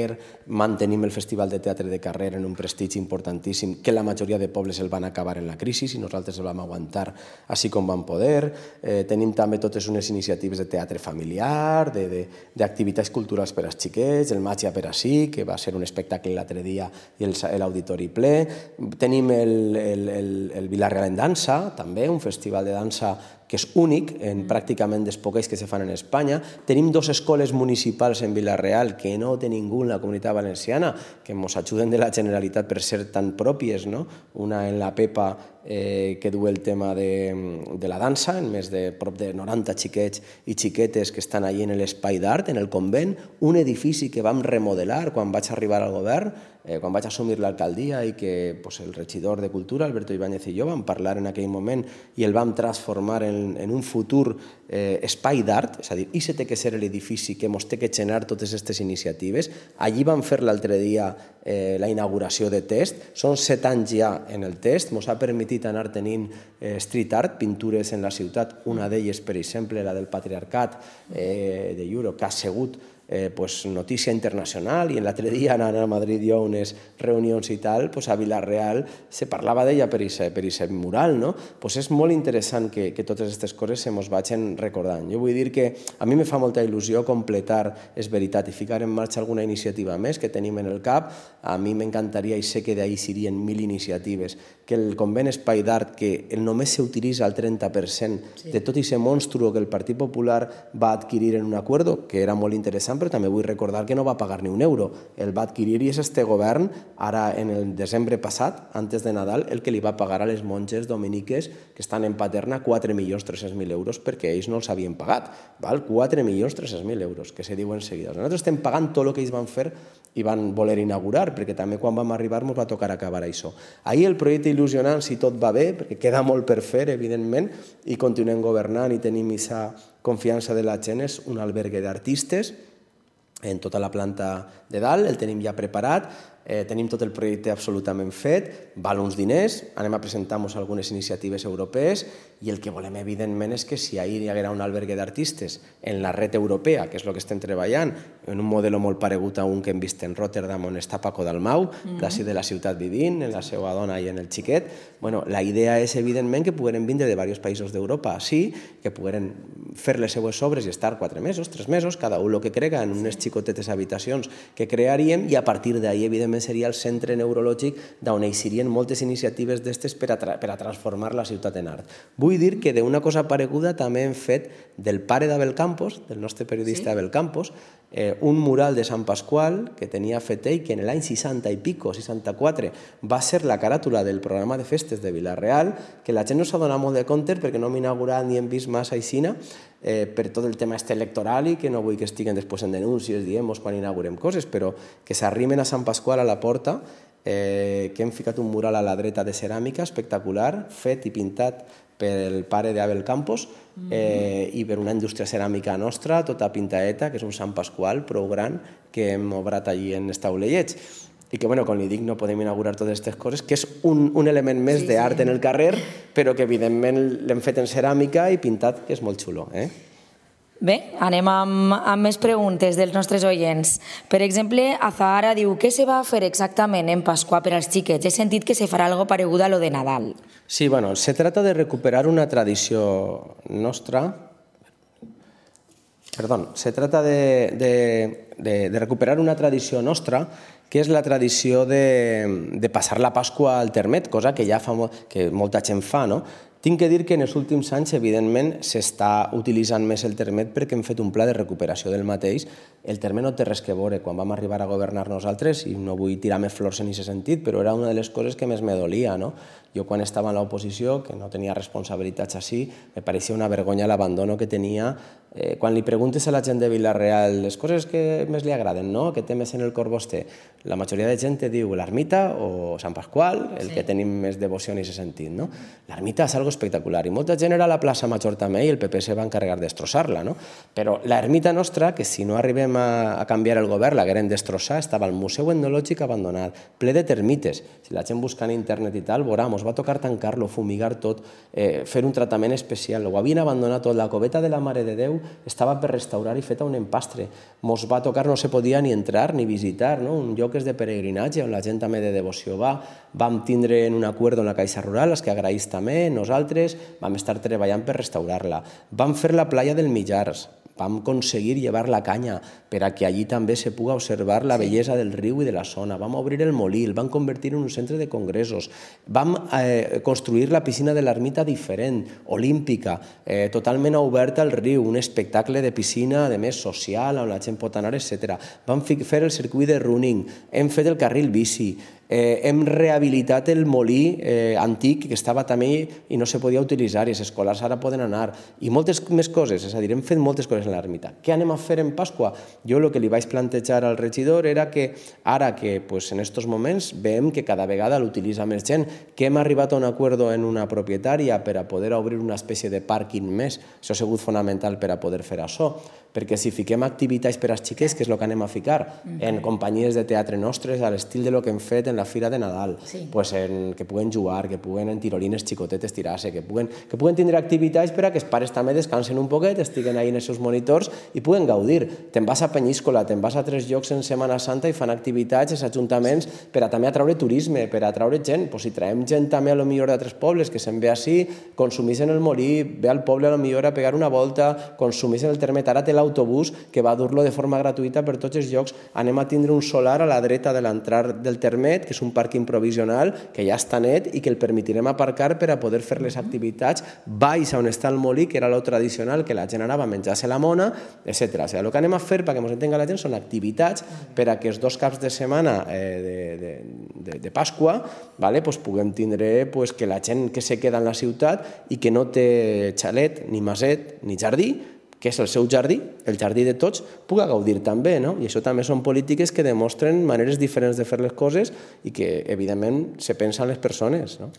Mantenim el Festival de Teatre de Carrer en un prestigi importantíssim que la majoria de pobles el van acabar en la crisi i nosaltres el vam aguantar així com vam poder. Eh, tenim també totes unes iniciatives de teatre familiar, d'activitats culturals per als xiquets, el Màgia per a sí, que va ser un espectacle l'altre dia i l'auditori ple. Tenim el, el, el, el Vila-real en dansa, també, un festival de dansa que és únic en pràcticament dels poquets que se fan en Espanya. Tenim dues escoles municipals en Vila-real que no té ningú en la Comunitat Valenciana, que ens ajuden de la Generalitat per ser tan pròpies, no? Una en la Pepa, eh, que du el tema de, de la dansa, en més de prop de noranta xiquets i xiquetes que estan allí en l'espai d'art, en el convent, un edifici que vam remodelar quan vaig arribar al govern, eh, quan vaig assumir l'alcaldia i que pues, el regidor de Cultura, Alberto Ibáñez i jo, vam parlar en aquell moment i el vam transformar en En, en un futur eh, espai d'art, és a dir, i se té que ser l'edifici que ens té que generar totes aquestes iniciatives. Allí vam fer l'altre dia eh, la inauguració de Test, són set anys ja en el Test, ens ha permitit anar tenint eh, street art, pintures en la ciutat, una d'elles, per exemple, la del patriarcat eh, de Euro, que ha sigut Eh, pues, notícia internacional, i l'altre dia anant a Madrid jo a unes reunions i tal, pues, a Vila-real se parlava d'ella per aquest mural, no? Pues és molt interessant que, que totes aquestes coses se mos vagin recordant. Jo vull dir que a mi me fa molta il·lusió completar, és veritat, i ficar en marxa alguna iniciativa més que tenim en el cap. A mi m'encantaria, i sé que d'ahir serien mil iniciatives, que el convent espai d'art, que només s'utilitza el trenta per cent sí. de tot aquest monstru que el Partit Popular va adquirir en un acuerdo, que era molt interessant, però també vull recordar que no va pagar ni un euro. El va adquirir i és este govern, ara en el desembre passat, antes de Nadal, el que li va pagar a les monges dominiques que estan en Paterna quatre milions tres-cents mil euros perquè ells no els havien pagat. Val? quatre milions tres-cents mil euros, que se diuen seguides. Nosaltres estem pagant tot el que ells van fer i van voler inaugurar, perquè també quan vam arribar ens va tocar acabar això. Ahir el projecte il·lusionant, si tot va bé, perquè queda molt per fer, evidentment, i continuem governant i tenim aquesta confiança de la gent, és un albergue d'artistes en tota la planta de dalt, el tenim ja preparat. eh, tenim tot el projecte absolutament fet, val uns diners, anem a presentar-nos algunes iniciatives europees i el que volem, evidentment, és que si ahir hi haguera un albergue d'artistes en la red europea, que és el que estem treballant, en un model molt paregut a un que hem vist en Rotterdam, on està Paco Dalmau, d'ací de la ciutat vivint, en la seva dona i en el xiquet, bueno, la idea és, evidentment, que pogueren vindre de diversos països d'Europa així, que pogueren fer les seues obres i estar quatre mesos, tres mesos, cada un el que crega en unes xicotetes habitacions que crearíem i a partir d'ahir, evidentment, seria el centre neurològic d'on eixirien moltes iniciatives d'estes per a, tra per a transformar la ciutat en art. Vull dir que d'una cosa pareguda també hem fet del pare d'Abel Campos, del nostre periodista Abel Campos, eh, un mural de Sant Pasqual que tenia fet ell, que en l'any seixanta i pico, seixanta-quatre, va ser la caràtula del programa de festes de Vila-real, que la gent no s'ha donat molt de compte perquè no hem inaugurat ni hem vist massa aixina, eh, per tot el tema este electoral i que no vull que estiguen després en denúncies, diem-nos quan inaugurem coses, però que s'arrimen a Sant Pasqual a la porta, eh, que hem ficat un mural a la dreta de ceràmica espectacular, fet i pintat pel pare d'Abel Campos eh, i per una indústria ceràmica nostra, tota pintaeta, que és un Sant Pasqual prou gran que hem obrat allí en Estaulellets. I que, bueno, com li dic, no podem inaugurar totes aquestes coses, que és un, un element més sí, d'art sí. en el carrer, però que evidentment l'hem fet en ceràmica i pintat, que és molt xulo. Eh? Bé, anem amb, amb més preguntes dels nostres oients. Per exemple, Azahara diu, què se va fer exactament en Pasqua per als xiquets? He sentit que se farà algo paregut a lo de Nadal. Sí, bueno, se trata de recuperar una tradició nostra. Perdón, se trata de, de, de, de recuperar una tradició nostra, que és la tradició de, de passar la Pasqua al termet, cosa que ja fa molt, que molta gent fa, no? Tinc que dir que en els últims anys, evidentment, s'està utilitzant més el termet perquè hem fet un pla de recuperació del mateix. El termet no té res que veure. Quan vam arribar a governar nosaltres, i no vull tirar més flors en aquest sentit, però era una de les coses que més me dolia, no? Jo quan estava en l'oposició, que no tenia responsabilitats així, me pareixia una vergonya l'abandono que tenia. Eh, quan li preguntes a la gent de Vila-real les coses que més li agraden, no? Que té més en el cor vostè, la majoria de gent te diu l'ermita o Sant Pasqual, el sí. que tenim més devoció en aquest sentit, no? L'ermita és algo espectacular i molta gent era a la plaça Major també i el P P se va encarregar de destrossar-la, no? Però l'ermita nostra, que si no arribem a, a canviar el govern, l'hagueren destrossar, estava al Museu Etnològic abandonat, ple de termites. Si la gent busca en internet i tal, veurà, mos va tocar tancar-lo, fumigar tot, eh, fer un tractament especial. Ho havien abandonat tot. La coveta de la Mare de Déu estava per restaurar i feta un empastre. Mos va tocar, no se podia ni entrar ni visitar, no? Un lloc és de peregrinatge on la gent també de devoció va. Vam tindre en un acord amb la Caixa Rural, els que agraïs també, nosaltres vam estar treballant per restaurar-la. Vam fer la playa del Millars, vam aconseguir llevar la canya per a que allí també se puga observar la bellesa del riu i de la zona. Vam obrir el molí, el vam convertir en un centre de congressos. Vam eh, construir la piscina de l'ermita diferent, olímpica, eh, totalment oberta al riu, un espectacle de piscina, de més social, on la gent pot anar, etcètera. Vam fer el circuit de running, hem fet el carril bici, Eh, hem rehabilitat el molí eh, antic que estava també i no se podia utilitzar i els escolars ara poden anar i moltes més coses, és a dir, hem fet moltes coses en l'ermita. Què anem a fer en Pasqua? Jo el que li vaig plantejar al regidor era que ara que pues, en aquests moments veiem que cada vegada l'utilitza més gent, que hem arribat a un acord en una propietària per a poder obrir una espècie de pàrquing més, això ha sigut fonamental per a poder fer això, perquè si fiquem activitats per als xiquets, que és el que anem a ficar, en companyies de teatre nostres, a l'estil de lo que hem fet en la Fira de Nadal, sí. pues en, que puguen jugar, que puguen en tirolines xicotetes tirar-se, que puguen, que puguen tindre activitats per a que els pares també descansen un poquet, estiguen ahí en els seus monitors i puguen gaudir. Te'n vas a Penyíscola, te'n vas a tres llocs en Setmana Santa i fan activitats els ajuntaments per a també atraure turisme, per a atraure gent. Pues si traiem gent també a lo millor d'altres pobles que se'n ve així, consumís en el molí, ve al poble a lo millor a pegar una volta, consumís en el termet. Ara té l'autobús que va dur-lo de forma gratuïta per tots els llocs. Anem a tindre un solar a la dreta de l'entrar del termet, que és un pàrquing provisional que ja està net i que el permetirem aparcar per a poder fer les activitats baix on està el molí, que era lo tradicional, que la gent anava a menjar-se la mona, etcètera. O sigui, el que anem a fer perquè ens entenga la gent són activitats per a que els dos caps de setmana eh, de, de, de, de Pasqua vale, pues puguem tindre pues, que la gent que se queda en la ciutat i que no té xalet, ni maset, ni jardí, que és el seu jardí, el jardí de tots, puga gaudir també, no? I això també són polítiques que demostren maneres diferents de fer les coses i que, evidentment, se pensa en les persones, no?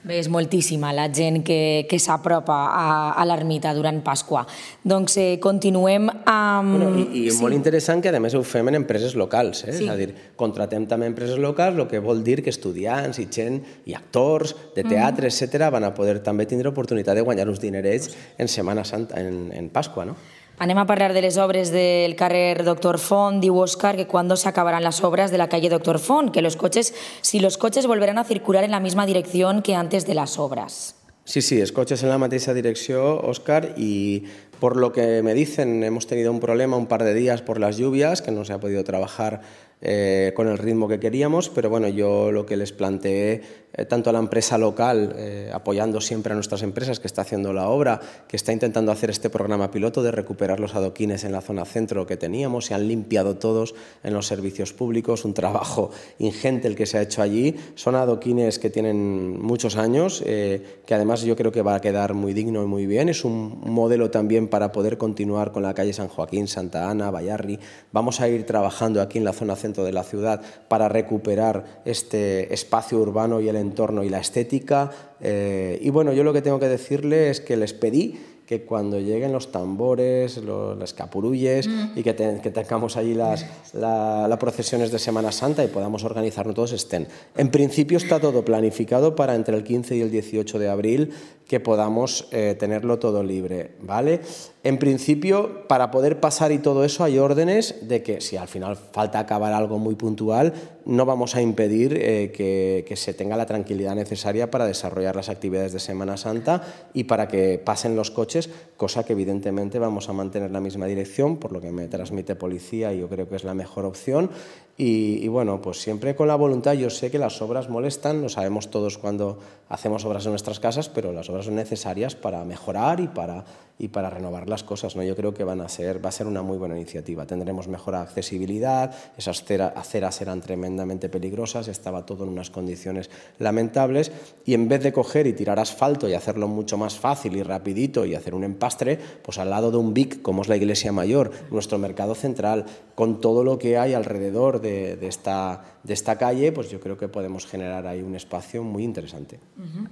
Bé, és moltíssima la gent que, que s'apropa a, a l'ermita durant Pasqua. Doncs eh, continuem amb... Bueno, I i sí. molt interessant que, a més, ho fem en empreses locals, eh? Sí. És a dir, contratem també empreses locals, el que vol dir que estudiants i gent i actors de teatre, mm. etcètera, van a poder també tindre oportunitat de guanyar uns dinerets en Setmana Santa, en, en Pasqua, no? Anem a parlar de les obres del carrer Doctor Font. Diu Óscar que cuándo se acabarán las obras de la calle Doctor Font, que los coches, si los coches volverán a circular en la misma dirección que antes de las obras. Sí, sí, els cotxes en la mateixa direcció, Óscar, y por lo que me dicen, hemos tenido un problema un par de días por las lluvias, que no se ha podido trabajar eh, con el ritmo que queríamos, pero bueno, yo lo que les planteé, eh, tanto a la empresa local, eh, apoyando siempre a nuestras empresas que está haciendo la obra, que está intentando hacer este programa piloto de recuperar los adoquines en la zona centro que teníamos, se han limpiado todos en los servicios públicos, un trabajo ingente el que se ha hecho allí, son adoquines que tienen muchos años, eh, que además yo creo que va a quedar muy digno y muy bien, es un modelo también para poder continuar con la calle San Joaquín, Santa Ana, Bayarri. Vamos a ir trabajando aquí en la zona centro de la ciudad para recuperar este espacio urbano y el entorno y la estética. Eh, y bueno, yo lo que tengo que decirle es que les pedí que cuando lleguen los tambores, los, las capurulles mm. y que, te, que tengamos allí las la, la procesiones de Semana Santa y podamos organizarnos todos, estén. En principio está todo planificado para entre el quince y el dieciocho de abril que podamos eh, tenerlo todo libre, ¿vale? En principio, para poder pasar y todo eso, hay órdenes de que si al final falta acabar algo muy puntual, no vamos a impedir eh, que, que se tenga la tranquilidad necesaria para desarrollar las actividades de Semana Santa y para que pasen los coches, cosa que evidentemente vamos a mantener la misma dirección, por lo que me transmite policía y yo creo que es la mejor opción. Y, y bueno, pues siempre con la voluntad. Yo sé que las obras molestan, lo sabemos todos cuando hacemos obras en nuestras casas, pero las obras son necesarias para mejorar y para, y para renovar las cosas, ¿no? Yo creo que van a ser, va a ser una muy buena iniciativa. Tendremos mejor accesibilidad, esas aceras eran tremendamente peligrosas, estaba todo en unas condiciones lamentables y en vez de coger y tirar asfalto y hacerlo mucho más fácil y rapidito y hacer un empastre, pues al lado de un Vic, como es la Iglesia Mayor, nuestro mercado central, con todo lo que hay alrededor de, de, esta, de esta calle, pues yo creo que podemos generar ahí un espacio muy interesante. Uh-huh.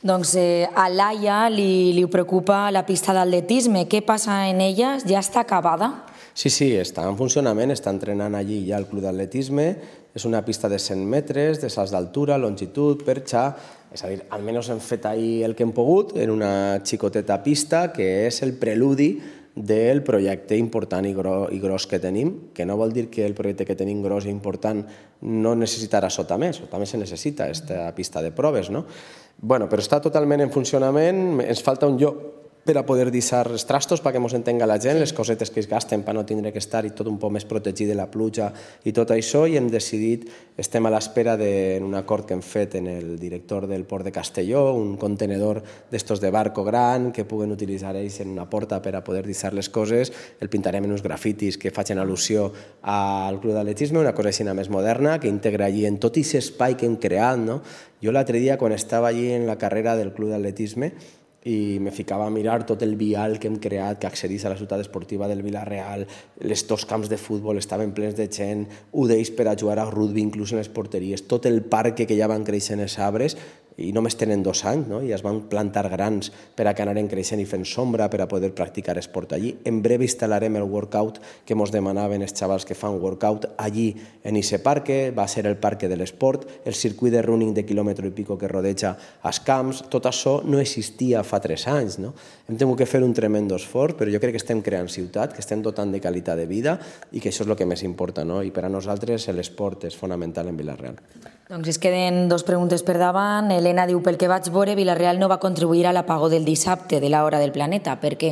Doncs eh, a Laia li, li preocupa la pista d'atletisme. Què passa en ella? Ja està acabada? Sí, sí, està en funcionament, està entrenant allí ja el club d'atletisme. És una pista de cent metres, de salts d'altura, longitud, perxa. És a dir, almenys hem fet ahir el que hem pogut en una xicoteta pista que és el preludi del projecte important i gros, i gros que tenim, que no vol dir que el projecte que tenim gros i important no necessitarà sota més, o també se necessita aquesta pista de proves, no? Bueno, però està totalment en funcionament, ens falta un lloc per a poder deixar els trastos perquè ens entenga la gent, les cosetes que es gasten per no tindre que estar i tot un poc més protegit de la pluja i tot això, i hem decidit, estem a l'espera d'un acord que hem fet en el director del port de Castelló, un contenedor d'estos de barco gran que puguen utilitzar ells en una porta per a poder deixar les coses, el pintarem en uns grafitis que facin al·lusió al club d'atletisme, una cosa així més moderna, que integra allí en tot aquest espai que hem creat, no? Jo l'altre dia, quan estava allí en la carrera del club d'atletisme, i me ficava a mirar tot el vial que hem creat, que accedís a la ciutat esportiva del Vila-real, els dos camps de futbol estaven plens de gent, ho deis per a jugar a rugby, inclús en les porteries, tot el parc que ja van créixer en els arbres, i només tenen dos anys, no? I es van plantar grans per a que anaren creixent i fent sombra per a poder practicar esport allí. En breu instal·larem el workout que ens demanaven els xavals que fan workout allí en aquest parc, va ser el parc de l'esport, el circuit de running de quilòmetre i pico que rodeja els camps, tot això no existia fa tres anys, no? Hem tingut que fer un tremendo esforç, però jo crec que estem creant ciutat, que estem dotant de qualitat de vida i que això és el que més importa, no? I per a nosaltres l'esport és fonamental en Vila-real. Doncs es queden dos preguntes per davant. Elena diu, pel que vaig veure, Vila-real no va contribuir a l'apagó del dissabte de l'hora del planeta. Per què?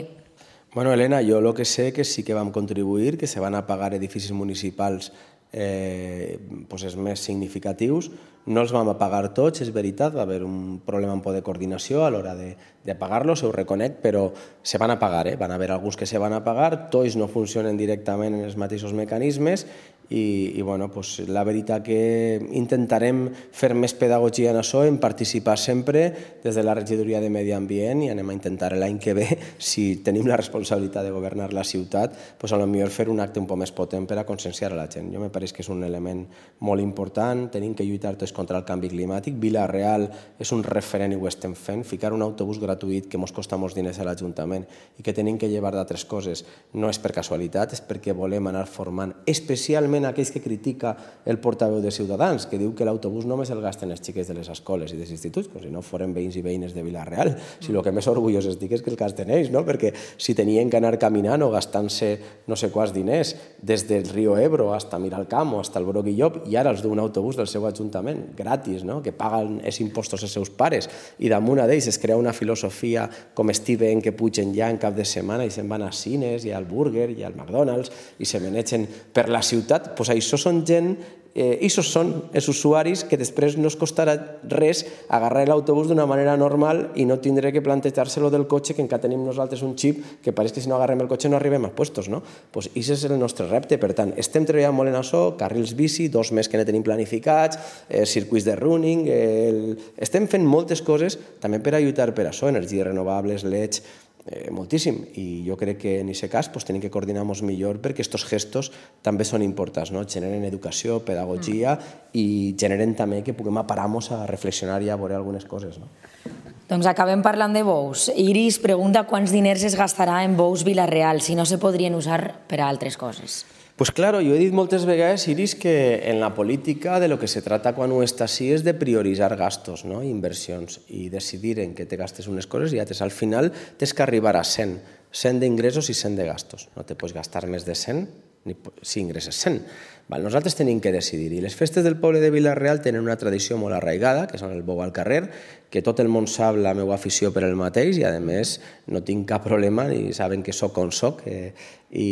Bueno, Elena, jo el que sé que sí que vam contribuir, que se van apagar edificis municipals eh, pues els més significatius. No els vam apagar tots, és veritat, va haver un problema un poc de coordinació a l'hora d'apagar-los, ho reconec, però se van apagar, eh? Van haver alguns que se van apagar, tots no funcionen directament en els mateixos mecanismes i, i bueno, pues, la veritat que intentarem fer més pedagogia en això, en participar sempre des de la regidoria de Medi Ambient, i anem a intentar l'any que ve, si tenim la responsabilitat de governar la ciutat, pues, a lo millor fer un acte un poc més potent per a conscienciar a la gent. Jo me pareix que és un element molt important, tenim que lluitar tots contra el canvi climàtic. Vila-real és un referent i ho estem fent, ficar un autobús gratuït que ens costa molts diners a l'Ajuntament i que tenim que llevar d'altres coses no és per casualitat, és perquè volem anar formant especialment aquells que critica el portaveu de Ciutadans, que diu que l'autobús només el gasten els xiquets de les escoles i dels instituts, com si no foren veïns i veïnes de Vila-real. Si el que més orgullós estic és que el gasten ells, no? Perquè si tenien que anar caminant o gastant-se no sé quants diners des del riu Ebro fins a Miralcamp o fins al Bruc i Llop, i ara els du un autobús del seu ajuntament, gratis, no? Que paguen els impostos als seus pares, i damunt d'ells es crea una filosofia com Steven, que pugen ja en cap de setmana i se'n van a cines i al Burger i al McDonald's i se menegen per la ciutat. Doncs això són gent, això són els usuaris que després no es costarà res agarrar l'autobús d'una manera normal i no tindré que plantejar-se-lo del cotxe, que encara tenim nosaltres un xip que pareix que si no agarrem el cotxe no arribem a puestos, no? Doncs això és el nostre repte. Per tant, estem treballant molt en això, carrils bici, dos més que ne tenim planificats, circuits de running, estem fent moltes coses també per a lluitar per això, energies renovables, L E Ds, Eh, moltíssim, i jo crec que en aquest cas pues, tenim que coordinar-nos millor perquè aquests gestos també són importants, no? Generen educació, pedagogia mm. i generen també que puguem aparar-nos a reflexionar i a veure algunes coses, no? Doncs acabem parlant de bous. Iris pregunta quants diners es gastarà en bous Vila-real, si no se podrien usar per a altres coses. Pues claro, jo he dit moltes vegades, Iris, que en la política de lo que se trata quan ho està així és de prioritzar gastos, no? Inversions, i decidir en què te gastes unes coses i altres. Al final tens que arribar a cent, cent d'ingressos i cent de gastos. No te pots gastar més de cent ni si ingresses cent. Nosaltres tenim que decidir. I les festes del poble de Vila-real tenen una tradició molt arraigada, que són el bou al carrer, que tot el món sap la meva afició per el mateix i, a més, no tinc cap problema i saben que soc on soc eh, i,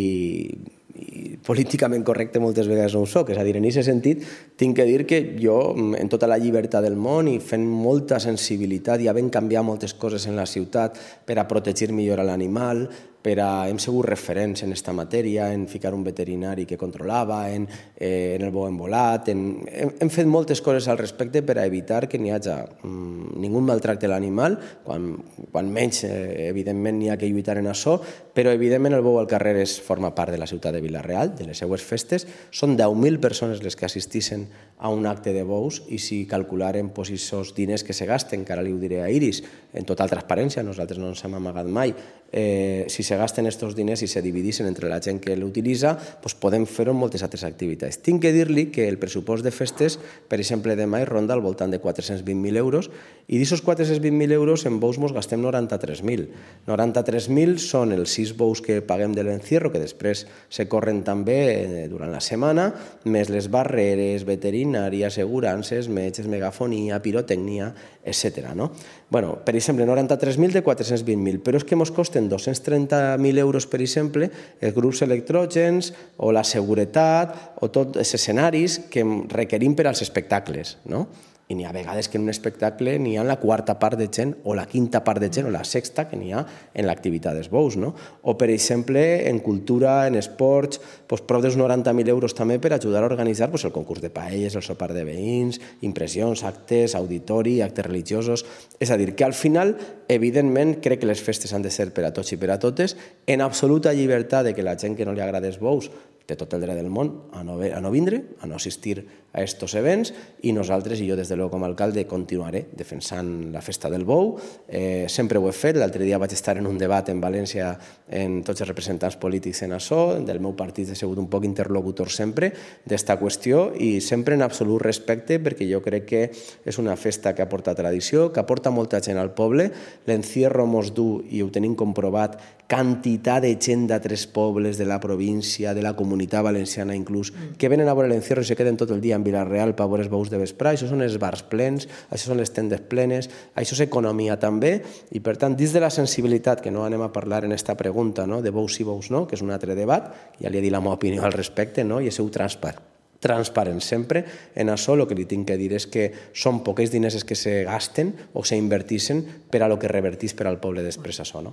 i políticament correcte moltes vegades no ho soc. És a dir, en aquest sentit, tinc que dir que jo, en tota la llibertat del món i fent molta sensibilitat i havent canviat moltes coses en la ciutat per a protegir millor l'animal, per a, hem sigut referents en aquesta matèria, en ficar un veterinari que controlava, en, eh, en el bou envolat, en, hem, hem fet moltes coses al respecte per a evitar que n'hi hagi mm, ningú maltracte l'animal, quan, quan menys, eh, evidentment, n'hi ha que lluitar en això, però, evidentment, el bou al carrer és, forma part de la ciutat de Vila-real, de les seues festes, són deu mil persones les que assistixen a un acte de bous i si calcularen pues, aquests diners que se gasten, que ara li ho diré a Iris, en total transparència, nosaltres no ens hem amagat mai, eh, si se gasten aquests diners i se dividissin entre la gent que l'utilitza, doncs podem fer-ho en moltes altres activitats. Tinc que dir-li que el pressupost de festes, per exemple, demà ronda al voltant de quatre-cents vint mil euros i d'aquests quatre-cents vint mil euros en bous ens gastem noranta-tres mil. noranta-tres mil són els sis bous que paguem de l'encierro, que després se corren també durant la setmana, més les barreres, veterinària, assegurances, metges, megafonia, pirotècnia, etcètera. No? Bueno, per exemple, noranta-tres mil de quatre-cents vint mil, però és que ens costen dos-cents trenta mil euros, per exemple, els grups electrògens o la seguretat o tots els escenaris que requerim per als espectacles, no? I n'hi ha vegades que en un espectacle n'hi ha la quarta part de gent o la quinta part de gent o la sexta que n'hi ha en l'activitat dels bous, no? O, per exemple, en cultura, en esports, doncs, prop dels noranta mil euros també per ajudar a organitzar doncs, el concurs de paelles, el sopar de veïns, impressions, actes, auditori, actes religiosos. És a dir, que al final, evidentment, crec que les festes han de ser per a tots i per a totes, en absoluta llibertat de que la gent que no li agrada els bous té tot el dret del món a no, a no vindre, a no assistir a aquests events, i nosaltres, i jo des de l'O com a alcalde, continuaré defensant la festa del bou. Eh, sempre ho he fet. L'altre dia vaig estar en un debat en València en tots els representants polítics en això, del meu partit he sigut un poc interlocutor sempre d'esta qüestió i sempre en absolut respecte, perquè jo crec que és una festa que aporta tradició, que aporta molta gent al poble. L'encierro mos du, i ho tenim comprovat, quantitat de gent d'altres pobles de la província, de la comunitat valenciana inclús, que venen a veure l'encierro i se queden tot el dia en Vila-real per veure els bous de vesprà. Això són els bars plens, això són les tendes plenes, això és economia també, i per tant, dins de la sensibilitat, que no anem a parlar en aquesta pregunta, no? De bous sí, bous no, que és un altre debat, ja li he dit la meva opinió al respecte, no? I és seu transparent. transparent sempre. En això el que li tinc que dir és que són pocs diners que se gasten o se invertixen per a lo que revertís per al poble després això, no?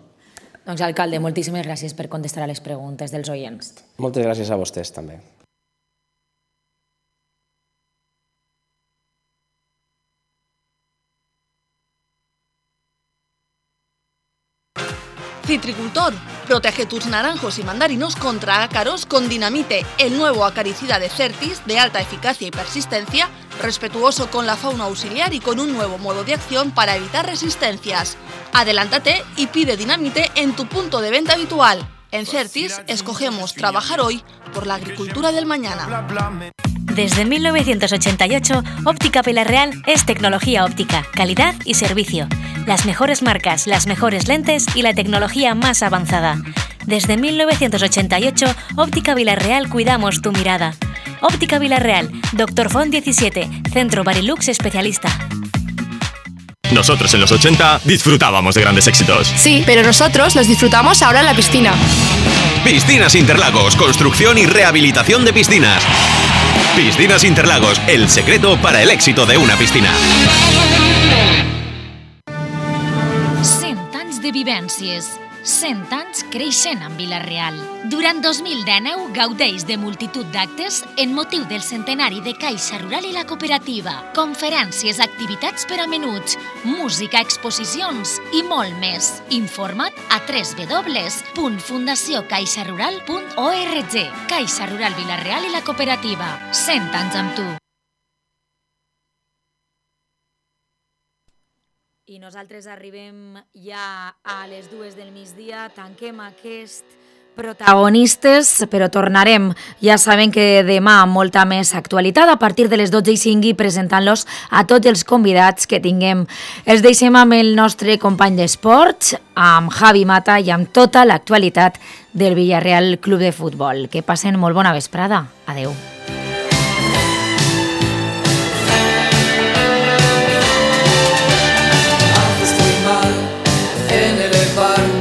Doncs, alcalde, moltíssimes gràcies per contestar a les preguntes dels oients. Moltes gràcies a vostès també. Citricultor, protege tus naranjos y mandarinos contra ácaros con Dinamite, el nuevo acaricida de Certis de alta eficacia y persistencia, respetuoso con la fauna auxiliar y con un nuevo modo de acción para evitar resistencias. Adelántate y pide Dinamite en tu punto de venta habitual. En Certis escogemos trabajar hoy por la agricultura del mañana. Desde mil novecientos ochenta y ocho, Óptica Vilarreal es tecnología óptica, calidad y servicio. Las mejores marcas, las mejores lentes y la tecnología más avanzada. Desde mil novecientos ochenta y ocho, Óptica Vilarreal cuidamos tu mirada. Óptica Vilarreal, Doctor Font diecisiete, Centro Barilux especialista. Nosotros en los ochenta disfrutábamos de grandes éxitos. Sí, pero nosotros los disfrutamos ahora en la piscina. Piscinas Interlagos, construcción y rehabilitación de piscinas. Piscinas Interlagos, el secreto para el éxito de una piscina. cent anys de vivències, cent anys creixent amb Vila-real. Durant dos mil dinou gaudeix de multitud d'actes en motiu del centenari de Caixa Rural i la Cooperativa, conferències, activitats per a menuts, música, exposicions i molt més. Informa't a w w w punt fundació caixa rural punt org. Caixa Rural Vila-real i la Cooperativa. cent anys amb tu. I nosaltres arribem ja a les dues del migdia, tanquem aquest protagonistes, però tornarem. Ja saben que demà molta més actualitat a partir de les dotze i cinc i presentant-los a tots els convidats que tinguem. Els deixem amb el nostre company d'esports, amb Javi Mata i amb tota l'actualitat del Villarreal Club de Futbol. Que passen molt bona vesprada. Adeu.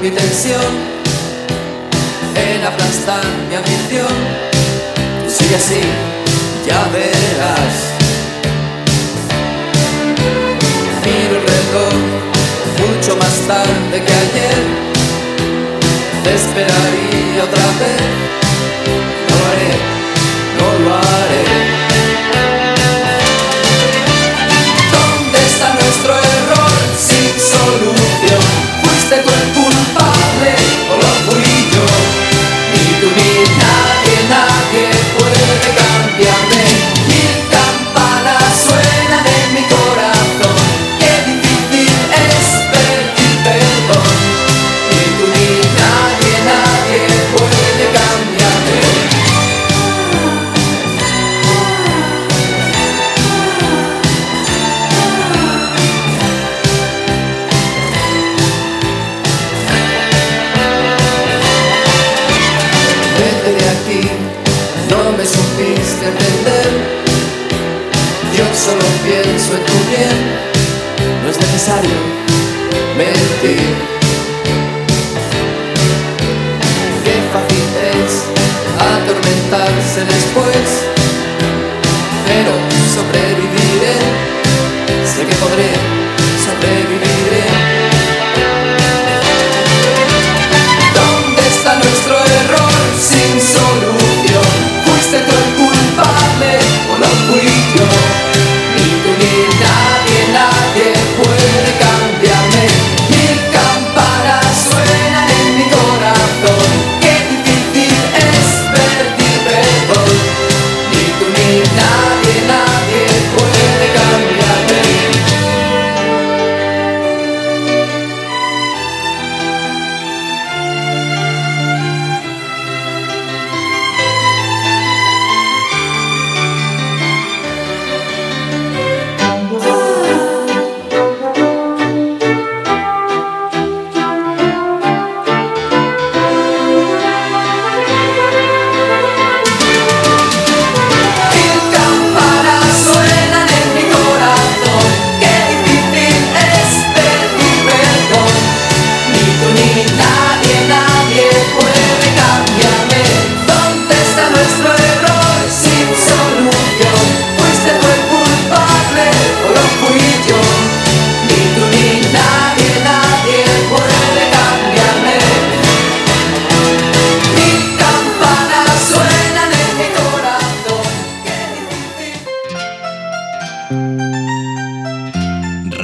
Mi tensión en aplastar mi ambición. Tú sigue así, ya verás. Miro el reloj mucho más tarde que ayer. Te esperaría otra vez. No lo haré, no lo haré. ¿Dónde está nuestro error sin solución? Fuiste tú el culpable o lo fui yo. Ni tú ni nadie, nadie puede cambiarme. Mil campanas suenan en mi corazón. Qué difícil es pedir perdón. Ni tú ni nadie, nadie puede cambiarme. No me supiste entender. Yo solo pienso en tu bien. No es necesario mentir. Qué fácil es atormentarse después. Pero sobreviviré. Sé que podré, sobreviviré. ¿Dónde está nuestro error sin solución? ¿Fuiste tú el culpable o lo fui yo? Ni tú ni nadie, nadie puede cambiarme. Mil campanas suenan en mi corazón. Qué difícil es pedir perdón. Ni tú ni nadie, nadie puede cambiarme.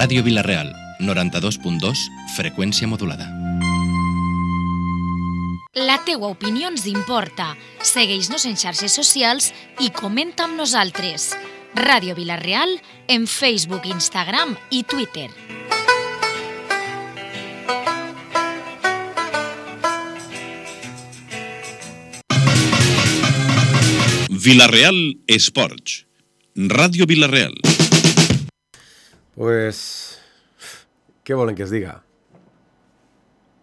Ràdio Vila-real, noranta-dos punt dos, freqüència modulada. La teua opinió ens importa. Segueix-nos en xarxes socials i comenta amb nosaltres. Ràdio Vila-real en Facebook, Instagram i Twitter. Vila-real Esports. Ràdio Vila-real. Pues, què volen que es diga?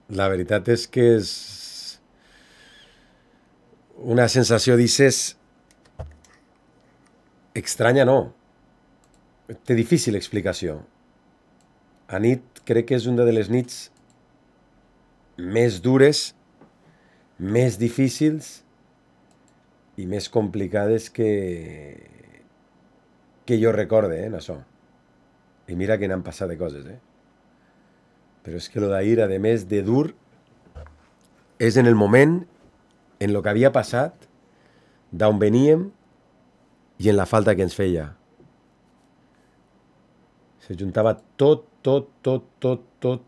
La veritat és que és una sensació, dices, estranya, no. Té difícil explicació. A nit crec que és una de les nits més dures, més difícils i més complicades que, que jo recorde, eh, en això. I mira que n'han passat de coses, eh? Però és que lo d'ahir, a més de dur, és en el moment, en lo que havia passat, d'on veníem i en la falta que ens feia. Se juntava tot, tot, tot, tot, tot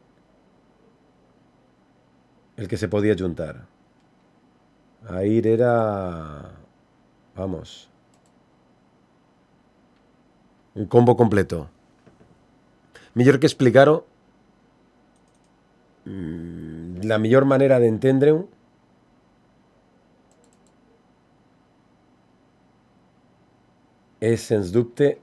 el que se podia juntar. Ahir era... Vamos. Un combo completo. Millor que explicar-ho, la millor manera d'entendre-ho és, sens dubte,